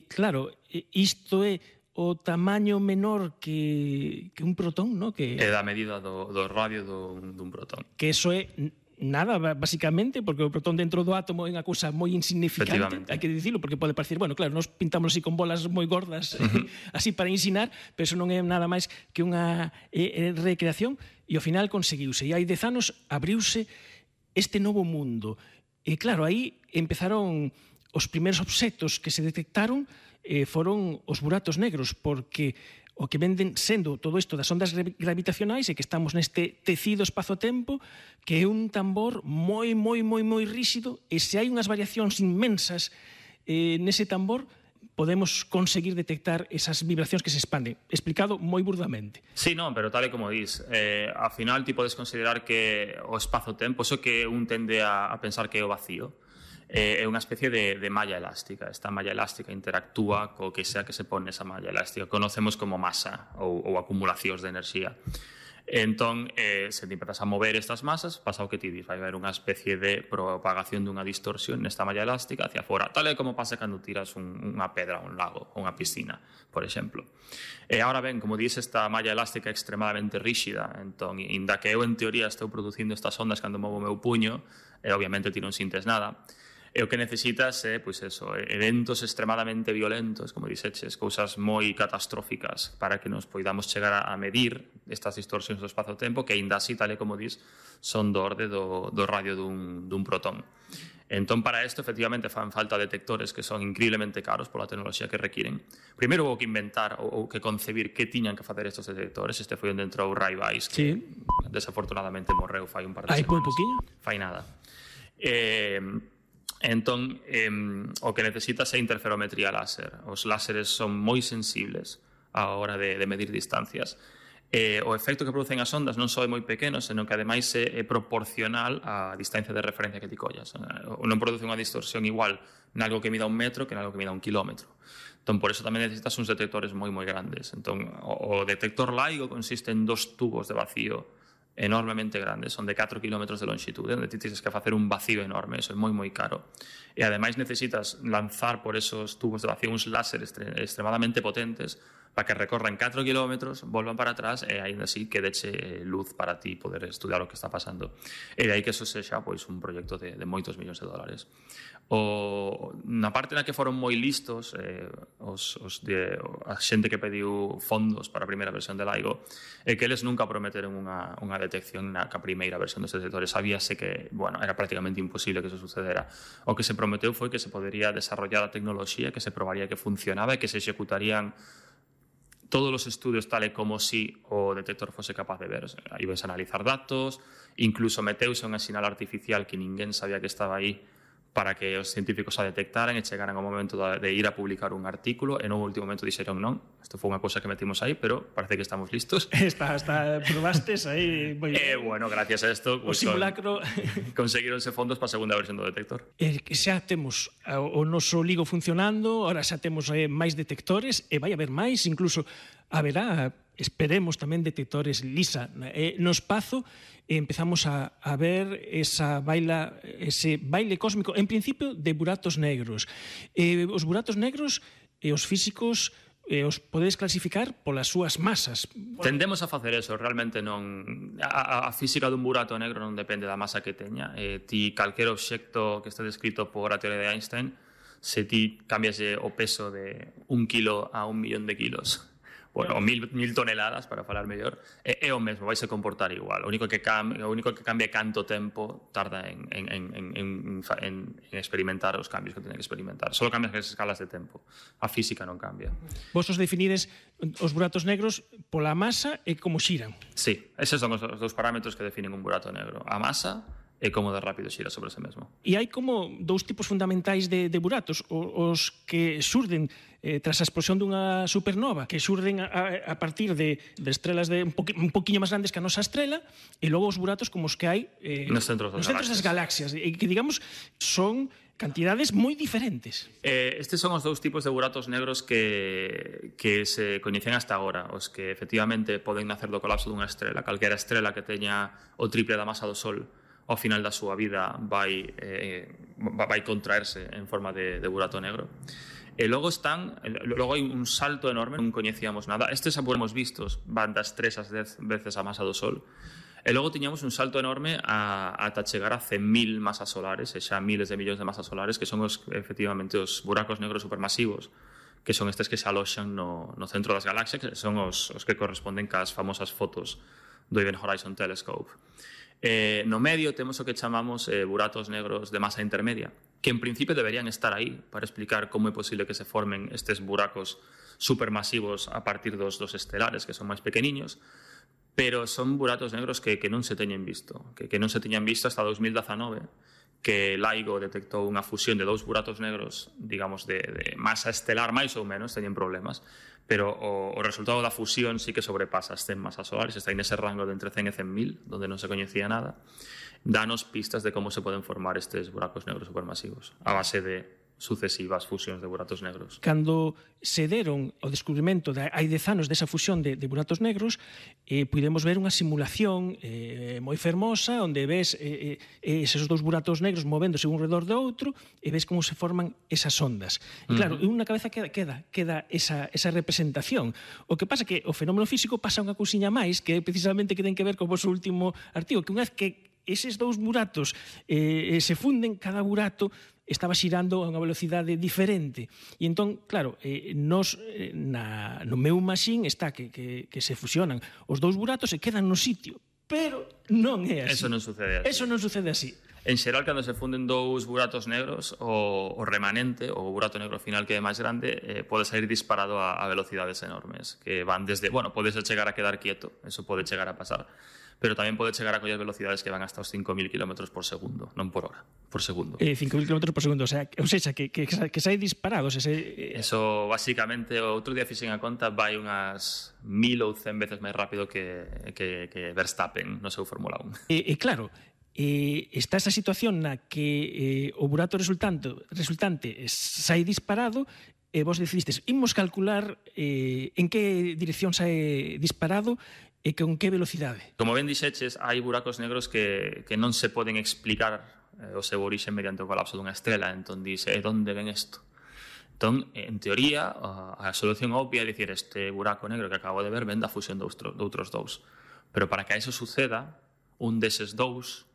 Claro, isto é o tamaño menor que un protón, ¿no? É da medida do radio dun protón. Que eso é nada, basicamente, porque o protón dentro do átomo é unha cousa moi insignificante, hai que dicilo, porque pode parecer, claro, nos pintamos así con bolas moi gordas, así para ensinar, pero eso non é nada máis que unha recreación, e ao final conseguiuse, e hai 10 anos abriuse este novo mundo. E claro, aí empezaron os primeiros obxectos que se detectaron, foron os buratos negros, porque o que venden sendo todo isto das ondas gravitacionais é que estamos neste tecido espazo-tempo que é un tambor moi ríxido, e se hai unhas variacións inmensas nese tambor, podemos conseguir detectar esas vibracións que se expanden. Explicado moi burdamente. Sí, non, pero tal e como dis, ao final ti podes considerar que o espazo-tempo, eso que un tende a pensar que é o vacío, é unha especie de malla elástica. Esta malla elástica interactúa co que sea que se pone esa malla elástica. Conocemos como masa ou acumulacións de enerxía. Entón, se te empezas a mover estas masas, pasa o que ti dis, vai haber unha especie de propagación dunha distorsión nesta malla elástica hacia fora, tal e como pasa cando tiras unha pedra a un lago ou unha piscina, por exemplo. E agora ben, como dis, esta malla elástica é extremadamente ríxida, entón, inda que eu en teoría estou producindo estas ondas cando movo o meu puño, e obviamente ti non sintes nada, e o que necesitas é, pois eso, eventos extremadamente violentos, como dixeches, cousas moi catastróficas para que nos poidamos chegar a medir estas distorsións do espazo-tempo que, aínda así, tal e como dis, son do orde do radio dun protón. Entón, para isto, efectivamente, fan falta detectores que son increíblemente caros pola tecnoloxía que requiren. Primeiro houve que inventar ou que concebir que tiñan que facer estes detectores. Este foi onde entrou Ray Weiss, que desafortunadamente morreu fai un par de semanas. Hai moi poquinho? Fai nada. Entón, o que necesitas é interferometría láser. Os láseres son moi sensibles á hora de medir distancias. O efecto que producen as ondas non só é moi pequeno, senón que ademais é proporcional á distancia de referencia que ti collas. Non produce unha distorsión igual nalgo que mida 1 metro que nalgo que mida 1 kilómetro. Entón, por eso tamén necesitas uns detectores moi grandes. Entón, o detector LIGO consiste en 2 tubos de vacío enormemente grandes, son de 4 kilómetros de longitude, onde ti tens que facer un vacío enorme, eso é moi caro. E ademais necesitas lanzar por esos tubos de vacío uns láseres extremadamente potentes para que recorran 4 kilómetros, volvan para atrás e aínda así que deche luz para ti poder estudiar o que está pasando. E de aí que eso sexa pois, un proxecto de moitos millóns de dólares. Na parte na que foron moi listos a xente que pediu fondos para a primeira versión de LIGO é que eles nunca prometeron unha detección na primeira versión dos detectores. Sabíase que era prácticamente imposible que eso sucedera. O que se prometeu foi que se podería desarrollar a tecnoloxía, que se probaría que funcionaba e que se executarían todos os estudios tal e como si o detector fose capaz de ver. Ibas a analizar datos, incluso meteuse unha sinal artificial que ninguén sabía que estaba aí para que os científicos a detectaran e chegaran ao momento de ir a publicar un artículo e no último momento dixeron non, isto foi unha cousa que metimos aí, pero parece que estamos listos. Probastes aí. Bueno, gracias a isto o simulacro conseguironse fondos para a segunda versión do detector. Xa temos o noso LIGO funcionando, ahora xa temos máis detectores e vai haber máis, incluso haberá, esperemos tamén, detectores LISA no espazo. Empezamos a ver ese baile cósmico, en principio, de buratos negros. Os buratos negros, os físicos, os podedes clasificar polas súas masas. Tendemos a facer eso, realmente non. A física dun burato negro non depende da masa que teña. Ti, calquer obxecto que este descrito por a teoría de Einstein, se ti cambias o peso de 1 kilo a 1 millón de kilos, bueno, 1000 toneladas, para falar mellor, é o mesmo, vai se comportar igual. O único que cambia é canto tempo tarda en experimentar os cambios que teñen que experimentar. Só cambian as escalas de tempo. A física non cambia. Vos os definides os buratos negros pola masa e como xiran. Sí, eses son os dous parámetros que definen un burato negro. A masa e como de rápido xira sobre ese mesmo. E hai como 2 tipos fundamentais de buratos, os que xurden tras a explosión dunha supernova, que xurden a partir de estrelas un poquinho máis grandes que a nosa estrela, e logo os buratos como os que hai nos centros das galaxias, e que, digamos, son cantidades moi diferentes. Estes son os 2 tipos de buratos negros que se coñecen hasta agora, os que efectivamente poden nacer do colapso dunha estrela. Calquera estrela que teña o triple da masa do Sol ao final da súa vida vai contraerse en forma de burato negro. E logo hai un salto enorme, non coñecíamos nada. Estes hemos vistos, van das 3 ás 10 veces a masa do Sol. E logo tiñamos un salto enorme ata chegar a 100.000 masas solares, e xa miles de millóns de masas solares, que son efectivamente os buracos negros supermasivos, que son estes que se aloxan no centro das galaxias, que son os que corresponden cas famosas fotos do Event Horizon Telescope. No medio temos o que chamamos buratos negros de masa intermedia, que en principio deberían estar aí para explicar como é posible que se formen estes buracos supermasivos a partir dos estelares, que son máis pequeniños, pero son buratos negros que non se teñen visto, que non se teñan visto hasta 2019, que LIGO detectou unha fusión de dous buratos negros, digamos, de masa estelar máis ou menos, teñen problemas, pero o resultado da fusión sí que sobrepasa as 100 masas solares, está en ese rango de entre 100 e 100.000, donde non se coñecía nada, danos pistas de como se poden formar estes buracos negros supermasivos, a base de sucesivas fusións de buratos negros. Cando se deron o descubrimento hai 10 anos desa fusión de buratos negros, pudemos ver unha simulación moi fermosa onde ves esos dous buratos negros movéndose un redor do outro e ves como se forman esas ondas. E claro, en unha cabeza queda esa representación. O que pasa é que o fenómeno físico pasa unha cousiña máis que precisamente que ten que ver co vosso último artigo, que unha vez que eses dous buratos se funden, cada burato estaba xirando a unha velocidade diferente. E entón, claro, no meu machine está que se fusionan os dous buratos e quedan no sitio, pero non é así. Eso non sucede así. Eso non sucede así. En xeral, cando se funden dous buratos negros, o remanente, o burato negro final que é máis grande, pode sair disparado a velocidades enormes, que van desde, bueno, pode chegar a quedar quieto, eso pode chegar a pasar, pero tamén pode chegar a coller velocidades que van hasta os 5.000 km por segundo, non por hora, por segundo. 5.000 km por segundo, ou sea, que sai disparados. Eso, basicamente, outro día fixen a conta, vai unhas 1.000 ou 100 veces máis rápido que Verstappen no seu Fórmula 1. E claro, está esa situación na que o burato resultante sai disparado e vos decidistes, imos calcular en que dirección sai disparado e con que velocidade. Como ben dixeches, hai buracos negros que non se poden explicar o seu orixe mediante o colapso dunha estrela, entón dice, onde ven isto? Entón, en teoría, a solución obvia é dicir, este buraco negro que acabo de ver ven da fusión de outros dous. Pero para que eso suceda, un deses dous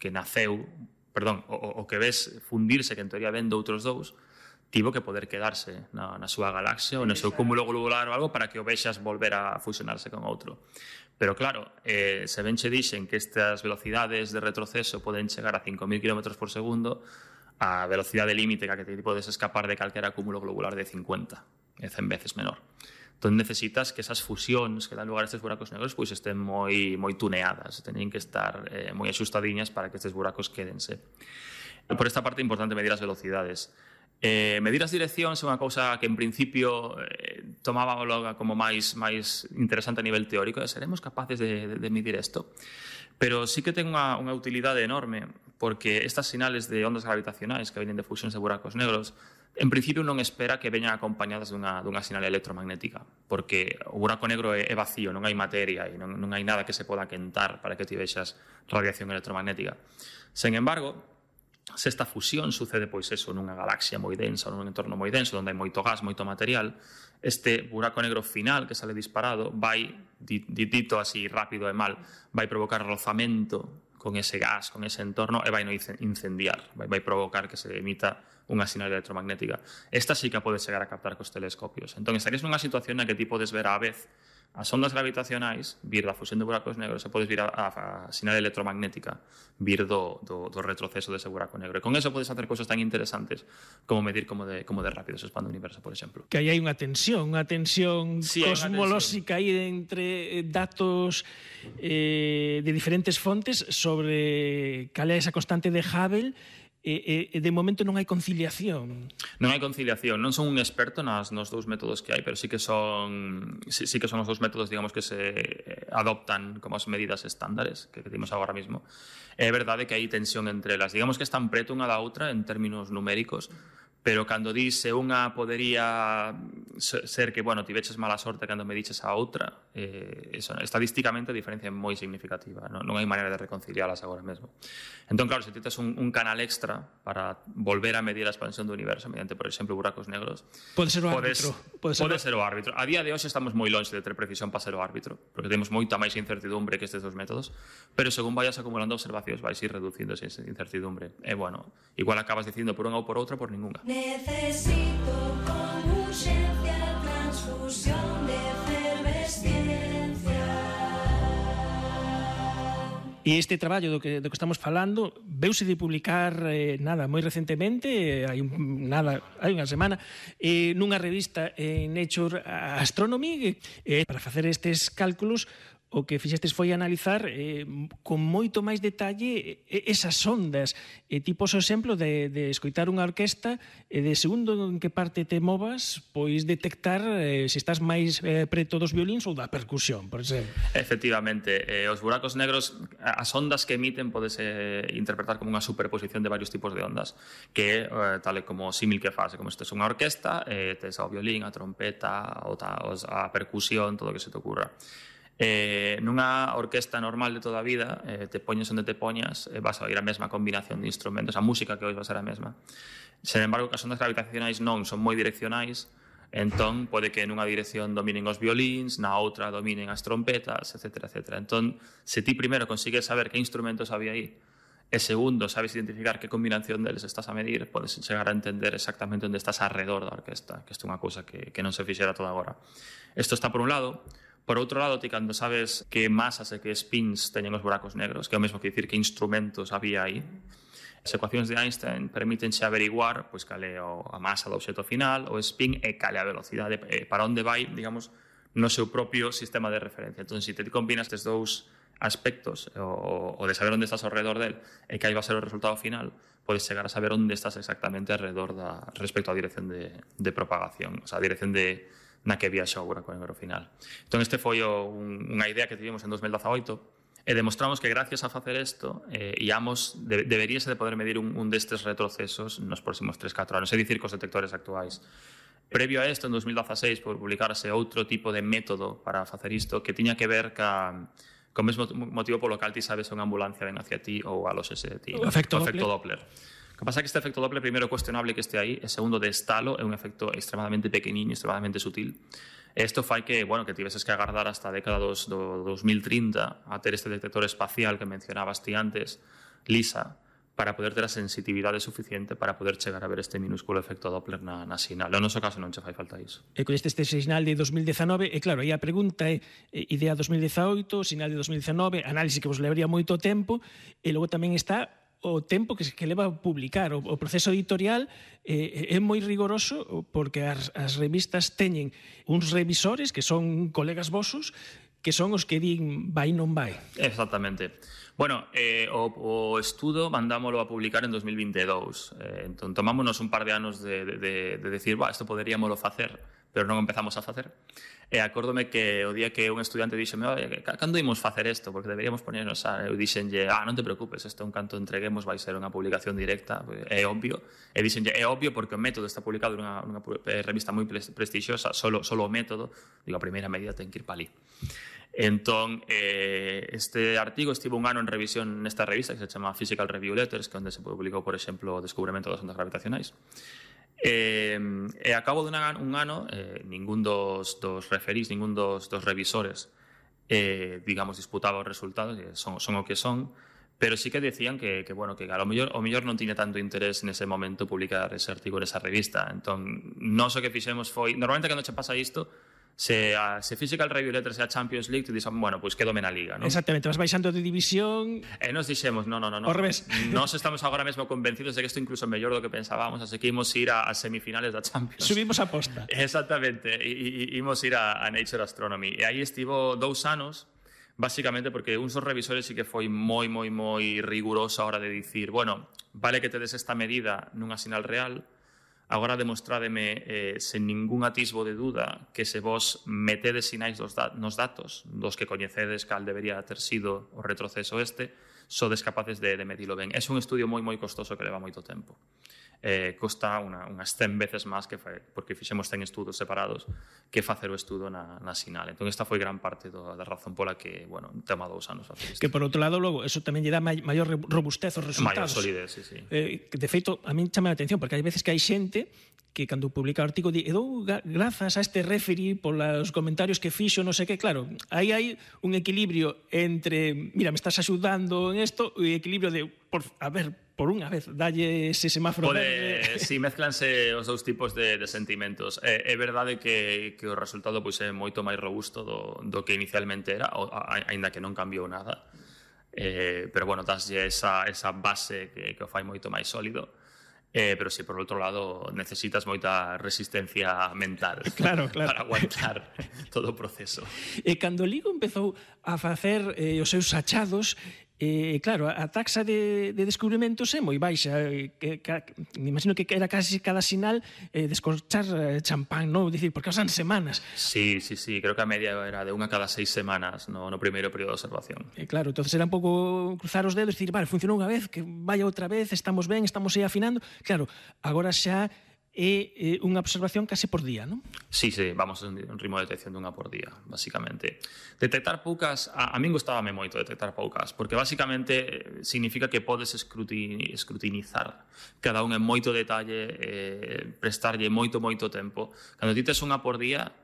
que naceu, perdón, o que ves fundirse, que en teoría ven de outros dous, tivo que poder quedarse na súa galaxia ou no seu cúmulo globular ou algo para que o vexas volver a fusionarse con outro. Pero claro, se ben che dixen que estas velocidades de retroceso poden chegar a 5.000 km por segundo, a velocidade límite que te podes escapar de calquera cúmulo globular de 50, é 100 veces menor. Entón necesitas que esas fusións que dan lugar a estes buracos negros pois estén moi tuneadas, teñen que estar moi axustadiñas para que estes buracos quédense. Por esta parte é importante medir as velocidades. Medir as direccións é unha cousa que en principio tomábamos como máis interesante a nivel teórico, seremos capaces de medir isto, pero sí que ten unha utilidade enorme, porque estas sinales de ondas gravitacionais que veñen de fusións de buracos negros en principio non espera que veñan acompañadas dunha sinal electromagnética, porque o buraco negro é vacío, non hai materia e non hai nada que se poda quentar para que ti vexas radiación electromagnética. Sen embargo, se esta fusión sucede pois eso nunha galaxia moi densa, nun entorno moi denso, onde hai moito gas, moito material, este buraco negro final que sale disparado vai, dito así rápido e mal, vai provocar rozamento con ese gas, con ese entorno e vai incendiar, vai provocar que se emita unha sinal electromagnética. Esta sí que pode chegar a captar cos telescopios. Entón, estarías nunha situación na que ti podes ver á vez as ondas gravitacionais, vir da fusión de buracos negros, e podes vir a sinal electromagnética, vir do retroceso dese buraco negro. E con eso podes facer cousas tan interesantes como medir como de rápido se expande o universo, por exemplo. Que aí hai unha tensión cosmolóxica aí entre datos de diferentes fontes sobre cal é esa constante de Hubble. De momento non hai conciliación. Non hai conciliación. Non son un experto nos dous métodos que hai, pero sí que son os dous métodos, digamos, que se adoptan como as medidas estándares que temos agora mesmo. É verdade que hai tensión entre elas. Digamos que están preto unha da outra en términos numéricos, pero cando dice unha podería ser que, bueno, ti veches mala sorte cando me diches a outra, estadísticamente a diferencia é moi significativa, non hai maneira de reconcilialas agora mesmo. Entón, claro, se ti tes un canal extra para volver a medir a expansión do universo mediante, por exemplo, buracos negros, pode ser o árbitro. Pode ser o árbitro. A día de hoxe estamos moi longe de ter precisión para ser o árbitro, porque temos moita máis incertidumbre que estes dos métodos, pero según vayas acumulando observacións vais ir reducindo esa incertidumbre. E, bueno, igual acabas dicindo por unha ou por outra por ningunha. Necesito con urgencia transfusión de efervesciencia. E este traballo do que estamos falando veuse de publicar moi recentemente, hai unha semana, nunha revista en Nature Astronomy, para facer estes cálculos o que fixestes foi analizar con moito máis detalle esas ondas. Ti pos o exemplo de escoitar unha orquesta e de segundo en que parte te movas, pois detectar se estás máis preto dos violíns ou da percusión, por exemplo. Efectivamente, os buracos negros, as ondas que emiten podese interpretar como unha superposición de varios tipos de ondas, que tal como símil que fase, como se tes unha orquesta, tes ao violín, a trompeta, a percusión, todo o que se te ocurra. Nunha orquesta normal de toda a vida, te poñes onde te poñas, vas a oír a mesma combinación de instrumentos, a música que oís va a ser a mesma. Sen embargo, as ondas gravitacionais non son moi direccionais, entón pode que nunha dirección dominen os violíns, na outra dominen as trompetas, etc. Entón, se ti primeiro consigues saber que instrumentos había aí, e segundo, sabes identificar que combinación deles estás a medir, podes chegar a entender exactamente onde estás alrededor da orquesta, que isto é unha cousa que non se fixera toda agora. Isto está por un lado. Por outro lado, ti cando sabes que masas e que spins teñen os buracos negros, que é o mesmo que dicir que instrumentos había aí, as ecuacións de Einstein permítense averiguar pois cal é a masa do obxecto final, o spin e cal é a velocidade, para onde vai, digamos, no seu propio sistema de referencia. Entón, se te combinas estes dous aspectos, o de saber onde estás ao redor del e que aí va a ser o resultado final, podes chegar a saber onde estás exactamente alrededor respecto á dirección de propagación, o sea, a dirección na que viaxa o buraco negro final. Entón, este foi unha idea que tivemos en 2018 e demostramos que gracias a facer isto deberíase de poder medir un destes retrocesos nos próximos 3-4 anos, é dicir, cos detectores actuais. Previo a isto, en 2016, publicarse outro tipo de método para facer isto que tiña que ver co mesmo motivo polo cal ti sabes unha ambulancia ven hacia ti ou alóxese de ti. O efecto Doppler. O que pasa é que este efecto Doppler, primeiro, é cuestionable que este aí, e segundo, de estalo, é un efecto extremadamente pequeniño, extremadamente sutil. E isto fai que tiveses que agardar hasta a década do 2030 a ter este detector espacial que mencionabas ti antes, LISA, para poder ter a sensitividade suficiente para poder chegar a ver este minúsculo efecto Doppler na sinal. No noso caso non che fai falta iso. E con este sinal de 2019, e claro, aí a pregunta é idea 2018, sinal de 2019, análise que vos levaría moito tempo, e logo tamén está o tempo que leva a publicar. O proceso editorial é moi rigoroso porque as revistas teñen uns revisores que son colegas vosos que son os que din vai non vai. Exactamente. Bueno, o estudo mandámoslo a publicar en 2022. Entón, tomámonos un par de anos de decir, isto poderíamoslo facer, pero non empezamos a facer. E acórdome que o día que un estudiante dixeme, cando imos facer isto? Porque deberíamos ponernos eu dixenlle, non te preocupes, isto un canto entreguemos vai ser unha publicación directa, é obvio. E dixenlle, é obvio porque o método está publicado nunha revista moi prestixiosa, solo o método, digo, a primeira medida ten que ir para ali. Entón, este artigo estivo un ano en revisión nesta revista que se chama Physical Review Letters, que onde se publicou, por exemplo, o descubrimento das ondas gravitacionais. E a cabo de un ano, ningún dos referís, ningún dos revisores, digamos, disputaba os resultados, son o que son, pero sí que decían que a lo mellor non tiña tanto interés nese momento publicar ese artigo nesa revista. Entón, nós o que fixemos foi, normalmente cando che pasa isto, se Physical Review Letters é a Champions League, tú dixes, pois quedome na Liga, non? Exactamente, vas baixando de división. E nos dixemos, non. Ao revés. Nós estamos agora mesmo convencidos de que isto incluso é mellor do que pensábamos, así que imos ir a semifinales da Champions. Subimos a posta. Exactamente, imos ir a Nature Astronomy. E aí estivo 2 anos, básicamente porque uns dos revisores sí que foi moi riguroso a hora de dicir, vale que tedes esta medida nunha sinal real, agora demostrádeme sen ningún atisbo de duda que se vos metedes sinais nos datos dos que coñecedes cal debería ter sido o retroceso sodes capaces de medilo ben. É un estudio moi costoso que leva moito tempo. Costa unhas 100 veces máis porque fixemos 100 estudos separados que facer o estudo na sinal. Entón, esta foi gran parte da razón pola que, tema 2 anos facer isto. Que, por outro lado, logo, eso tamén lle dá maior robustez aos resultados. Maior solidez, sí. De feito, a min chama a atención, porque hai veces que hai xente que cando publica o artigo di, grazas a este referee polos comentarios que fixo, non sei que, claro, aí hai un equilibrio entre, mira, me estás axudando en isto, e equilibrio de, por unha vez, dalle ese semáforo verde. Si, mezclanse os dous tipos de sentimentos. É verdade que o resultado é moito máis robusto do que inicialmente era, aínda que non cambiou nada. Pero, daslle esa base que o fai moito máis sólido. Pero si por outro lado necesitas moita resistencia mental claro. para aguantar todo o proceso. E cando Ligo empezou a facer os seus achados, claro, a taxa de descubrimentos é moi baixa. Me imagino que era casi cada sinal descorchar champán, non? Dicir, porque pasan semanas. Sí, creo que a media era de unha cada 6 semanas no primeiro período de observación. Claro, entonces era un pouco cruzar os dedos e dicir, vale, funcionou unha vez, que vaya outra vez, estamos ben, estamos aí afinando. Claro, agora xa é unha observación case por día, non? Sí, vamos a un ritmo de detección dunha por día, basicamente. Detectar poucas, a min gustábame moito detectar poucas, porque basicamente significa que podes escrutinizar cada un en moito detalle, prestarlle moito tempo. Cando ti tes unha por día,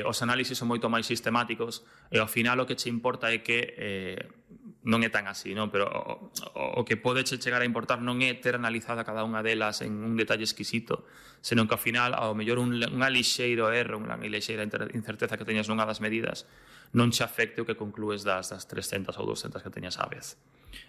os análisis son moito máis sistemáticos e ao final o que che importa é que non é tan así, non? Pero o que pode chegar a importar non é ter analizada cada unha delas en un detalle exquisito, senón que ao final, ao mellor unha lixeiro erro, unha lixeira incerteza que teñas nunha das medidas, non che afecte o que conclúes das 300 ou 200 que teñas á vez.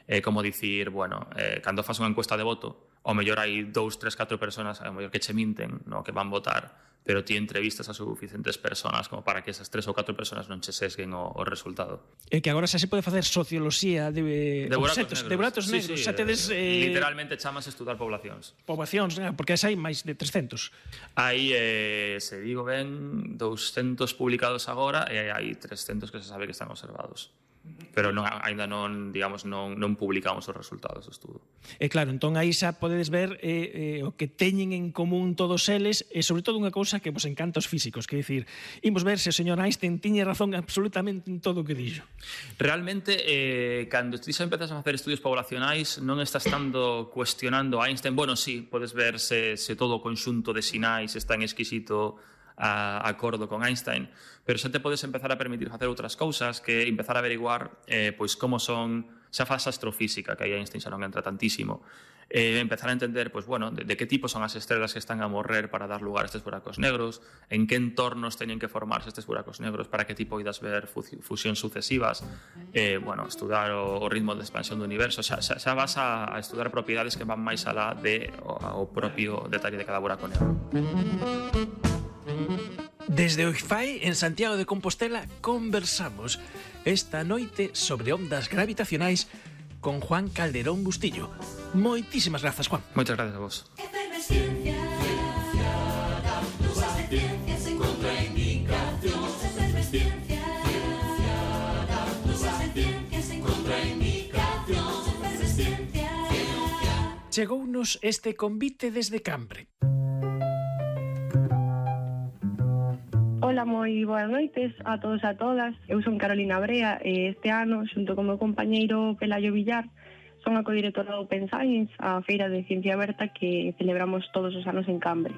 É como dicir, bueno, cando fas unha encuesta de voto, ao mellor hai 2, 3, 4 personas, ao mellor que che minten, no, que van votar, pero ti entrevistas a suficientes personas como para que esas 3 ou 4 personas non che sesguen o resultado. E que agora xa se pode facer socioloxía de buratos negros. Sí, xa tedes, literalmente chamas estudar poblacións. Poboacións, porque hai máis de 300. Hai, se digo ben, 200 publicados agora e hai 300 que se sabe que están observados. Pero ainda non publicamos os resultados do estudo. E claro, entón aí xa podedes ver o que teñen en común todos eles, e sobre todo unha cousa que vos encanta os físicos, que é dicir, imos ver se o señor Einstein tiña razón absolutamente en todo o que dixo. Realmente, cando ti xa empezas a facer estudios poblacionais, non estás tanto cuestionando a Einstein. Bueno, sí, podes ver se todo o conxunto de sinais está en exquisito acordo con Einstein, pero xa te podes empezar a permitir facer outras cousas, que empezar a averiguar pois como son, xa faz astrofísica, que aí Einstein xa non entra tantísimo, empezar a entender pois, bueno, de que tipo son as estrelas que están a morrer para dar lugar a estes buracos negros, en que entornos teñen que formarse estes buracos negros para que ti poidas ver fusións sucesivas, bueno, estudar o ritmo de expansión do universo, xa vas a estudar propiedades que van máis alá o propio detalle de cada buraco negro. Desde o IFAE en Santiago de Compostela conversamos esta noite sobre ondas gravitacionais con Juan Calderón Bustillo. Moitísimas grazas, Juan. Moitas gracias a vos. Chegounos este convite desde Cambre. Ola, moi boas noites a todos e a todas. Eu son Carolina Brea e este ano, xunto con meu compañeiro Pelayo Villar, son a codirectora do Open Science, a feira de ciencia aberta que celebramos todos os anos en Cambre.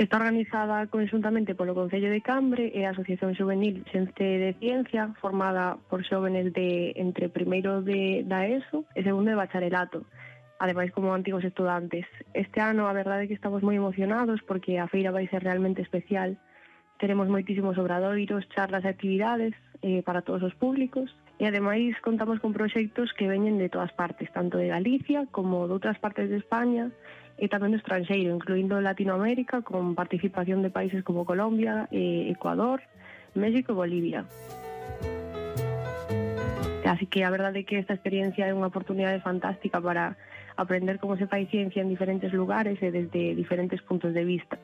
Está organizada conxuntamente polo Concello de Cambre e a Asociación Juvenil Xente de Ciencia, formada por xóvenes de entre primeiro da ESO e segundo de bacharelato, ademais como antigos estudantes. Este ano a verdade é que estamos moi emocionados porque a feira vai ser realmente especial. Teremos moitísimos obradoiros, charlas e actividades para todos os públicos e ademais contamos con proxectos que veñen de todas partes, tanto de Galicia como de outras partes de España e tamén do estranxeiro, incluindo Latinoamérica, con participación de países como Colombia, Ecuador, México e Bolivia. Así que a verdade é que esta experiencia é unha oportunidade fantástica para aprender como se fai ciencia en diferentes lugares e desde diferentes puntos de vista.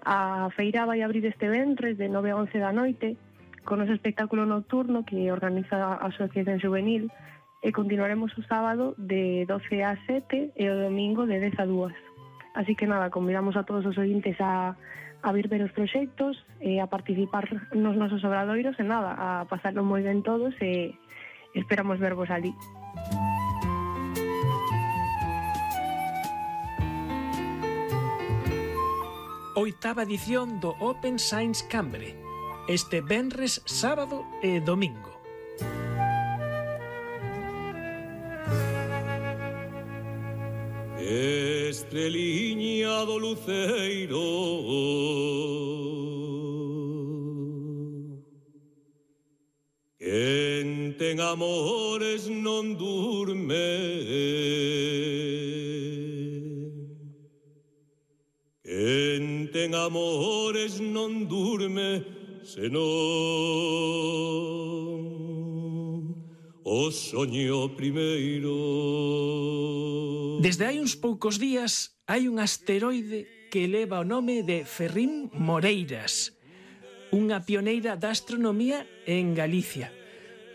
A feira vai abrir este venres de 9 a 11 da noite con os espectáculo nocturno que organiza a Asociación Juvenil e continuaremos o sábado de 12 a 7 e o domingo de 10 a 2. Así que nada, convidamos a todos os ointes a vir ver os proxectos e a participar nos nosos obradoiros e nada, a pasarlo moi ben todos e esperamos vervos ali. Oitava edición do Open Science Cambre, este venres, sábado e domingo. Estreliña do luceiro, que ten amores non durme. Quen ten amores non durme, senón o soño primeiro. Desde hai uns poucos días hai un asteroide que leva o nome de Ferrín Moreiras, unha pioneira da astronomía en Galicia.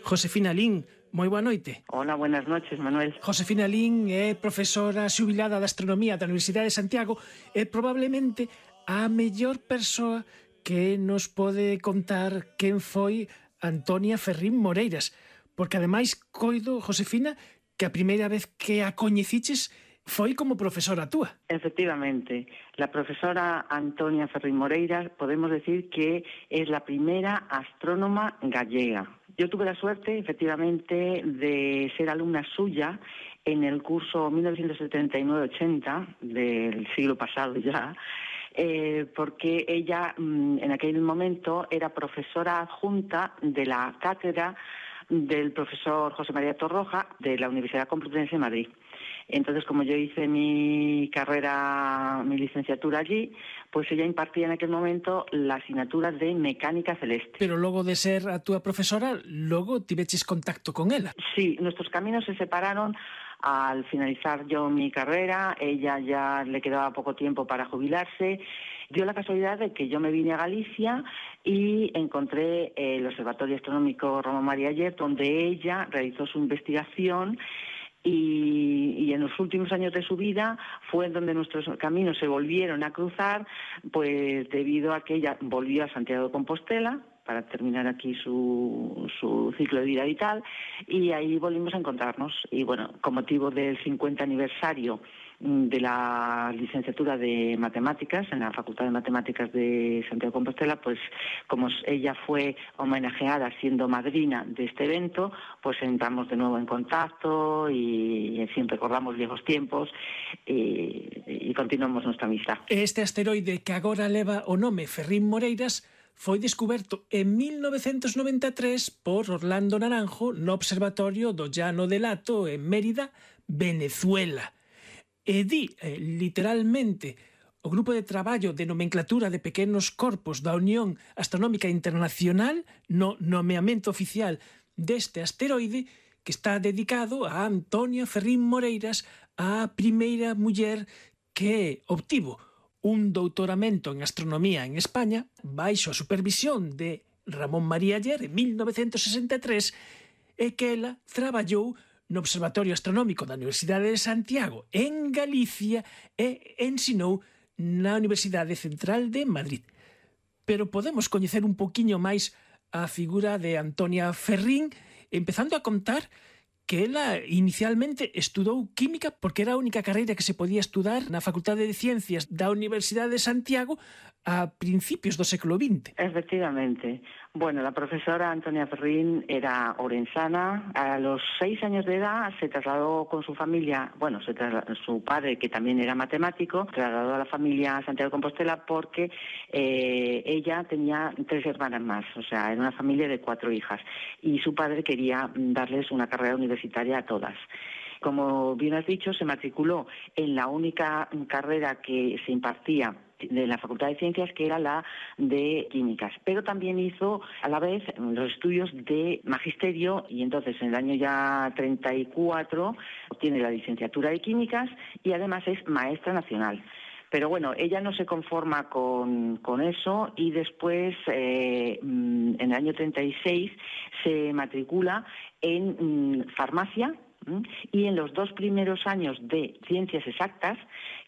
Josefina Lín, moi boa noite. Hola, buenas noches, Manuel. Josefina Lín é profesora xubilada de astronomía da Universidade de Santiago e probablemente a mellor persoa que nos pode contar quen foi Antonia Ferrín Moreiras, porque ademais coido, Josefina, que a primeira vez que a coñeciches foi como profesora túa. Efectivamente, la profesora Antonia Ferrín Moreiras podemos decir que es la primera astrónoma gallega. Yo tuve la suerte, efectivamente, de ser alumna suya en el curso 1979-80 del siglo pasado ya, porque ella en aquel momento era profesora adjunta de la cátedra del profesor José María Torroja de la Universidad Complutense de Madrid. Entonces, como yo hice mi carrera, mi licenciatura allí, pues ella impartía en aquel momento la asignatura de Mecánica Celeste. Pero logo de ser a túa profesora, logo tiveches contacto con ela. Sí, nuestros caminos se separaron al finalizar yo mi carrera. Ella ya le quedaba poco tiempo para jubilarse. Dio la casualidad de que yo me vine a Galicia y encontré el Observatorio Astronómico Ramón María Aller, donde ella realizó su investigación. Y en los últimos años de su vida fue donde nuestros caminos se volvieron a cruzar, pues debido a que ella volvió a Santiago de Compostela para terminar aquí su ciclo de vida vital, y ahí volvimos a encontrarnos. Y bueno, con motivo del 50 aniversario de la licenciatura de Matemáticas en la Facultad de Matemáticas de Santiago de Compostela, pues como ella fue homenajeada siendo madrina de este evento, pues entramos de nuevo en contacto y siempre recordamos viejos tiempos y continuamos nuestra amistad. Este asteroide que agora leva o nome Ferrín Moreiras foi descuberto en 1993 por Orlando Naranjo no Observatorio do Llano del Hato en Mérida, Venezuela. E di, literalmente, o Grupo de Traballo de Nomenclatura de Pequenos Corpos da Unión Astronómica Internacional no nomeamento oficial deste asteroide, que está dedicado a Antonia Ferrín Moreiras, a primeira muller que obtivo un doutoramento en astronomía en España baixo a supervisión de Ramón María Aller en 1963 e que ela traballou no Observatorio Astronómico da Universidade de Santiago en Galicia e ensinou na Universidade Central de Madrid. Pero podemos coñecer un poquinho máis a figura de Antonia Ferrín, empezando a contar que ela inicialmente estudou química porque era a única carreira que se podía estudar na Facultade de Ciencias da Universidade de Santiago a principios do século XX. Efectivamente. Bueno, la profesora Antonia Ferrín era orensana. A los 6 años de edad se trasladó con su familia, bueno, su padre, que también era matemático, trasladó a la familia a Santiago de Compostela porque ella tenía 3 hermanas más, o sea, era una familia de 4 hijas. Y su padre quería darles una carrera universitaria a todas. Como bien has dicho, se matriculó en la única carrera que se impartía de la Facultad de Ciencias, que era la de Químicas, pero también hizo a la vez los estudios de magisterio, y entonces en el año ya 34 obtiene la licenciatura de Químicas y además es maestra nacional. Pero bueno, ella no se conforma con eso y después, en el año 36, se matricula en farmacia, y en los 2 primeros años de Ciencias Exactas,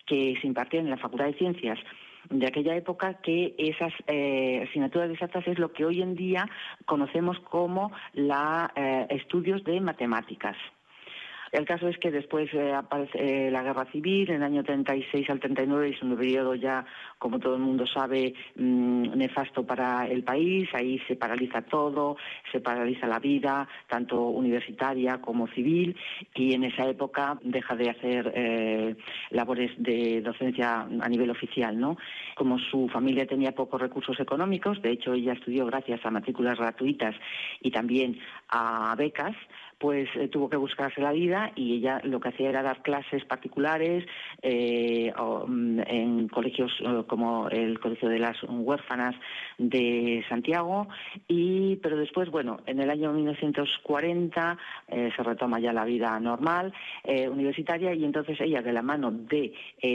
que se impartían en la Facultad de Ciencias de aquella época, que esas asignaturas exactas es lo que hoy en día conocemos como estudios de matemáticas. El caso es que después aparece la guerra civil, en el año 36 al 39, es un periodo ya, como todo el mundo sabe, nefasto para el país. Ahí se paraliza todo, se paraliza la vida, tanto universitaria como civil, y en esa época deja de hacer labores de docencia a nivel oficial, ¿no? Como su familia tenía pocos recursos económicos, de hecho ella estudió gracias a matrículas gratuitas y también a becas, pues tuvo que buscarse la vida, y ella lo que hacía era dar clases particulares en colegios como el Colegio de las Huérfanas de Santiago, pero después, bueno, en el año 1940 se retoma ya la vida normal universitaria, y entonces ella, de la mano del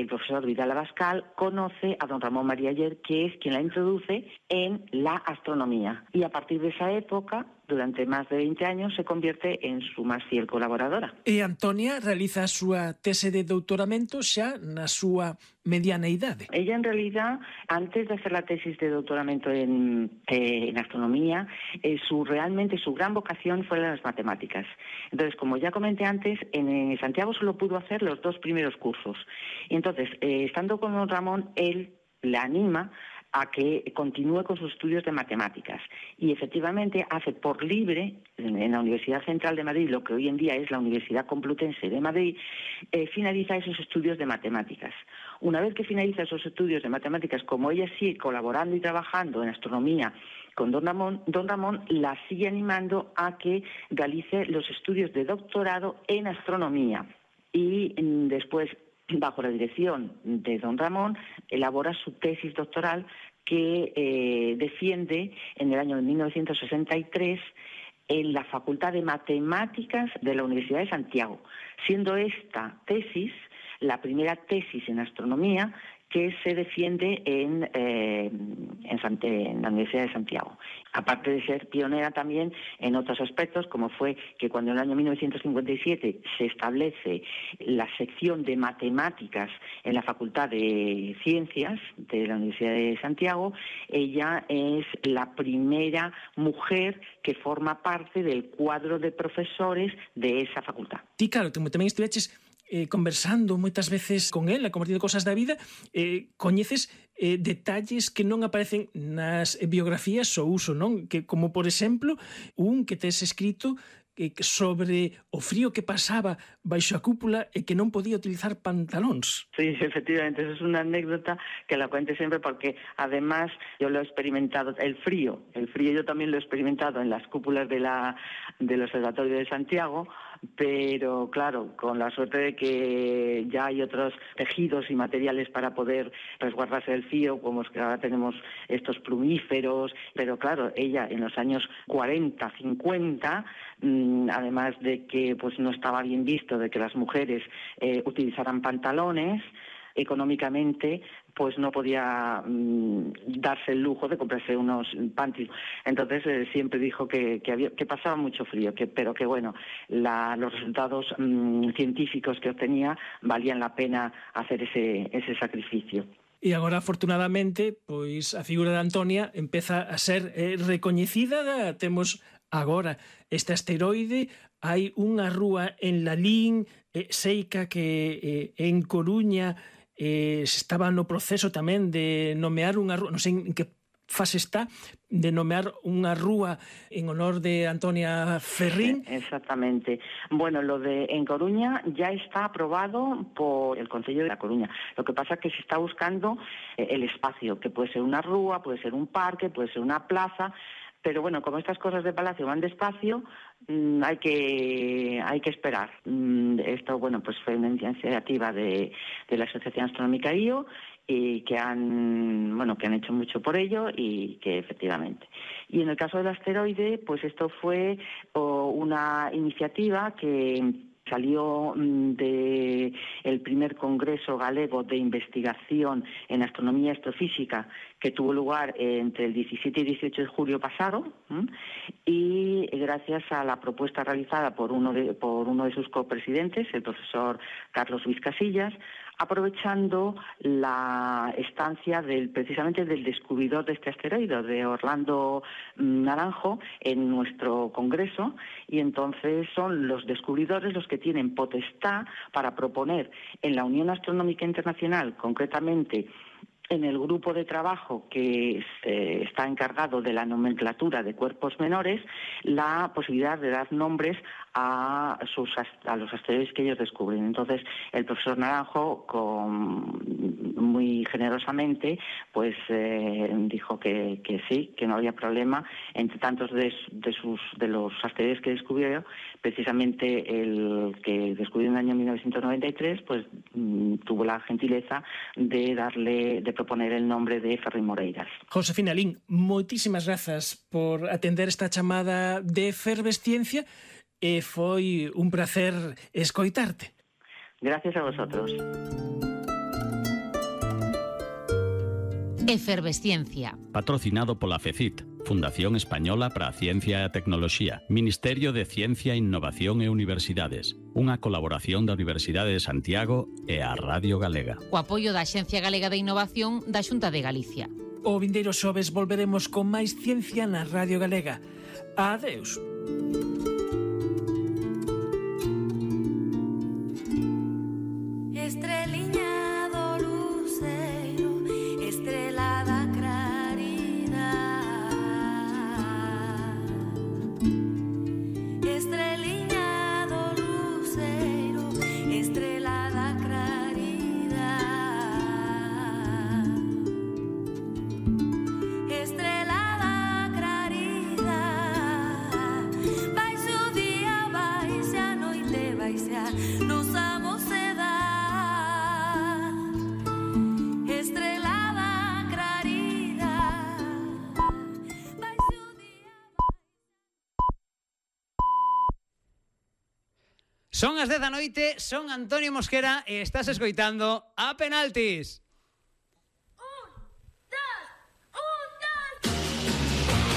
profesor Vidal Abascal, conoce a don Ramón María Aller, que es quien la introduce en la astronomía, y a partir de esa época, durante máis de 20 años, se convierte en su máis fiel colaboradora. E Antonia realiza a súa tese de doutoramento xa na súa mediana idade. Ella, en realidad, antes de hacer la tesis de doutoramento en astronomía, realmente su gran vocación fue las matemáticas. Entonces, como ya comenté antes, en Santiago solo pudo hacer los 2 primeros cursos. Y entonces, estando con don Ramón, él la anima a que continúe con sus estudios de matemáticas. Y efectivamente hace por libre, en la Universidad Central de Madrid, lo que hoy en día es la Universidad Complutense de Madrid, finaliza esos estudios de matemáticas. Una vez que finaliza esos estudios de matemáticas, como ella sigue colaborando y trabajando en astronomía con don Ramón la sigue animando a que realice los estudios de doctorado en astronomía. Y después, bajo la dirección de don Ramón, elabora su tesis doctoral que defiende en el año 1963 en la Facultad de Matemáticas de la Universidad de Santiago, siendo esta tesis la primera tesis en astronomía que se defiende en la Universidad de Santiago. Aparte de ser pionera también en otros aspectos, como fue que cuando en el año 1957 se establece la sección de matemáticas en la Facultad de Ciencias de la Universidad de Santiago, ella es la primera mujer que forma parte del cuadro de profesores de esa facultad. Ti, claro, tamén estuveches conversando moitas veces con ela, compartindo cosas da vida, coñeces detalles que non aparecen nas biografías ao uso, non? Que, como, por exemplo, un que tes escrito sobre o frío que pasaba baixo a cúpula e que non podía utilizar pantalóns. Sí, efectivamente, eso es una anécdota que la cuento siempre porque además yo lo he experimentado, el frío yo también lo he experimentado en las cúpulas del Observatorio de Santiago, pero claro, con la suerte de que ya hay otros tejidos y materiales para poder resguardarse del frío, como es que ahora tenemos estos plumíferos, pero claro, ella en los años 40, 50, además de que pues no estaba bien visto de que las mujeres utilizaran pantalones, económicamente pues no podía darse el lujo de comprarse unos panties. Entonces siempre dijo que pasaba mucho frío, pero que bueno, los resultados científicos que obtenía valían la pena hacer ese sacrificio. E agora, afortunadamente, pois a figura de Antonia empeza a ser recoñecida. Temos agora este asteroide, hai unha rúa en Lalín, seica que en Coruña estaba no proceso tamén de nomear unha rúa, non sei en que fase está, de nomear unha rúa en honor de Antonia Ferrín. Exactamente. Bueno, lo de en Coruña ya está aprobado por el Concello de La Coruña. Lo que pasa es que se está buscando el espacio, que puede ser una rúa, puede ser un parque, puede ser una plaza, pero bueno, como estas cosas de Palacio van despacio, hay que esperar. Esto, bueno, pues fue una iniciativa de la Asociación Astronómica IO, y que han hecho mucho por ello y que efectivamente. Y en el caso del asteroide, pues esto fue una iniciativa que salió del primer Congreso Galego de Investigación en Astronomía y Astrofísica, que tuvo lugar entre el 17 y 18 de julio pasado, y gracias a la propuesta realizada por uno de sus copresidentes, el profesor Carlos Luis Casillas, aprovechando la estancia precisamente del descubridor de este asteroide, de Orlando Naranjo, en nuestro Congreso, y entonces son los descubridores los que tienen potestad para proponer en la Unión Astronómica Internacional, concretamente en el grupo de trabajo que está encargado de la nomenclatura de cuerpos menores, la posibilidad de dar nombres a los asteroides que ellos descubren. Entonces, el profesor Naranjo, muy generosamente, pues dijo que sí, que no había problema. Entre tantos de los asteroides que descubrió, precisamente el que descubrió en el año 1993, pues tuvo la gentileza de proponer el nombre de Ferri Moreiras. Josefina Lin, moitísimas grazas por atender esta chamada de Efervesciencia. Foi un placer escoitarte. Gracias a vosotros. Efervesciencia. Patrocinado pola FECIT, Fundación Española para a Ciencia e a Tecnoloxía, Ministerio de Ciencia, Innovación e Universidades, unha colaboración da Universidade de Santiago e a Radio Galega. O apoio da Axencia Galega de Innovación da Xunta de Galicia. O vindeiro xoves volveremos con máis ciencia na Radio Galega. Adeus. Estreliña do luceiro, estrela da claridade. Estreliña do luceiro, estrela da claridade. Estrela da claridade. Vai-se o día, vai-se a noite, vai-se a nosa mocedade. Son as 10 da noite, son Antonio Mosquera e estás escoitando A Penaltis.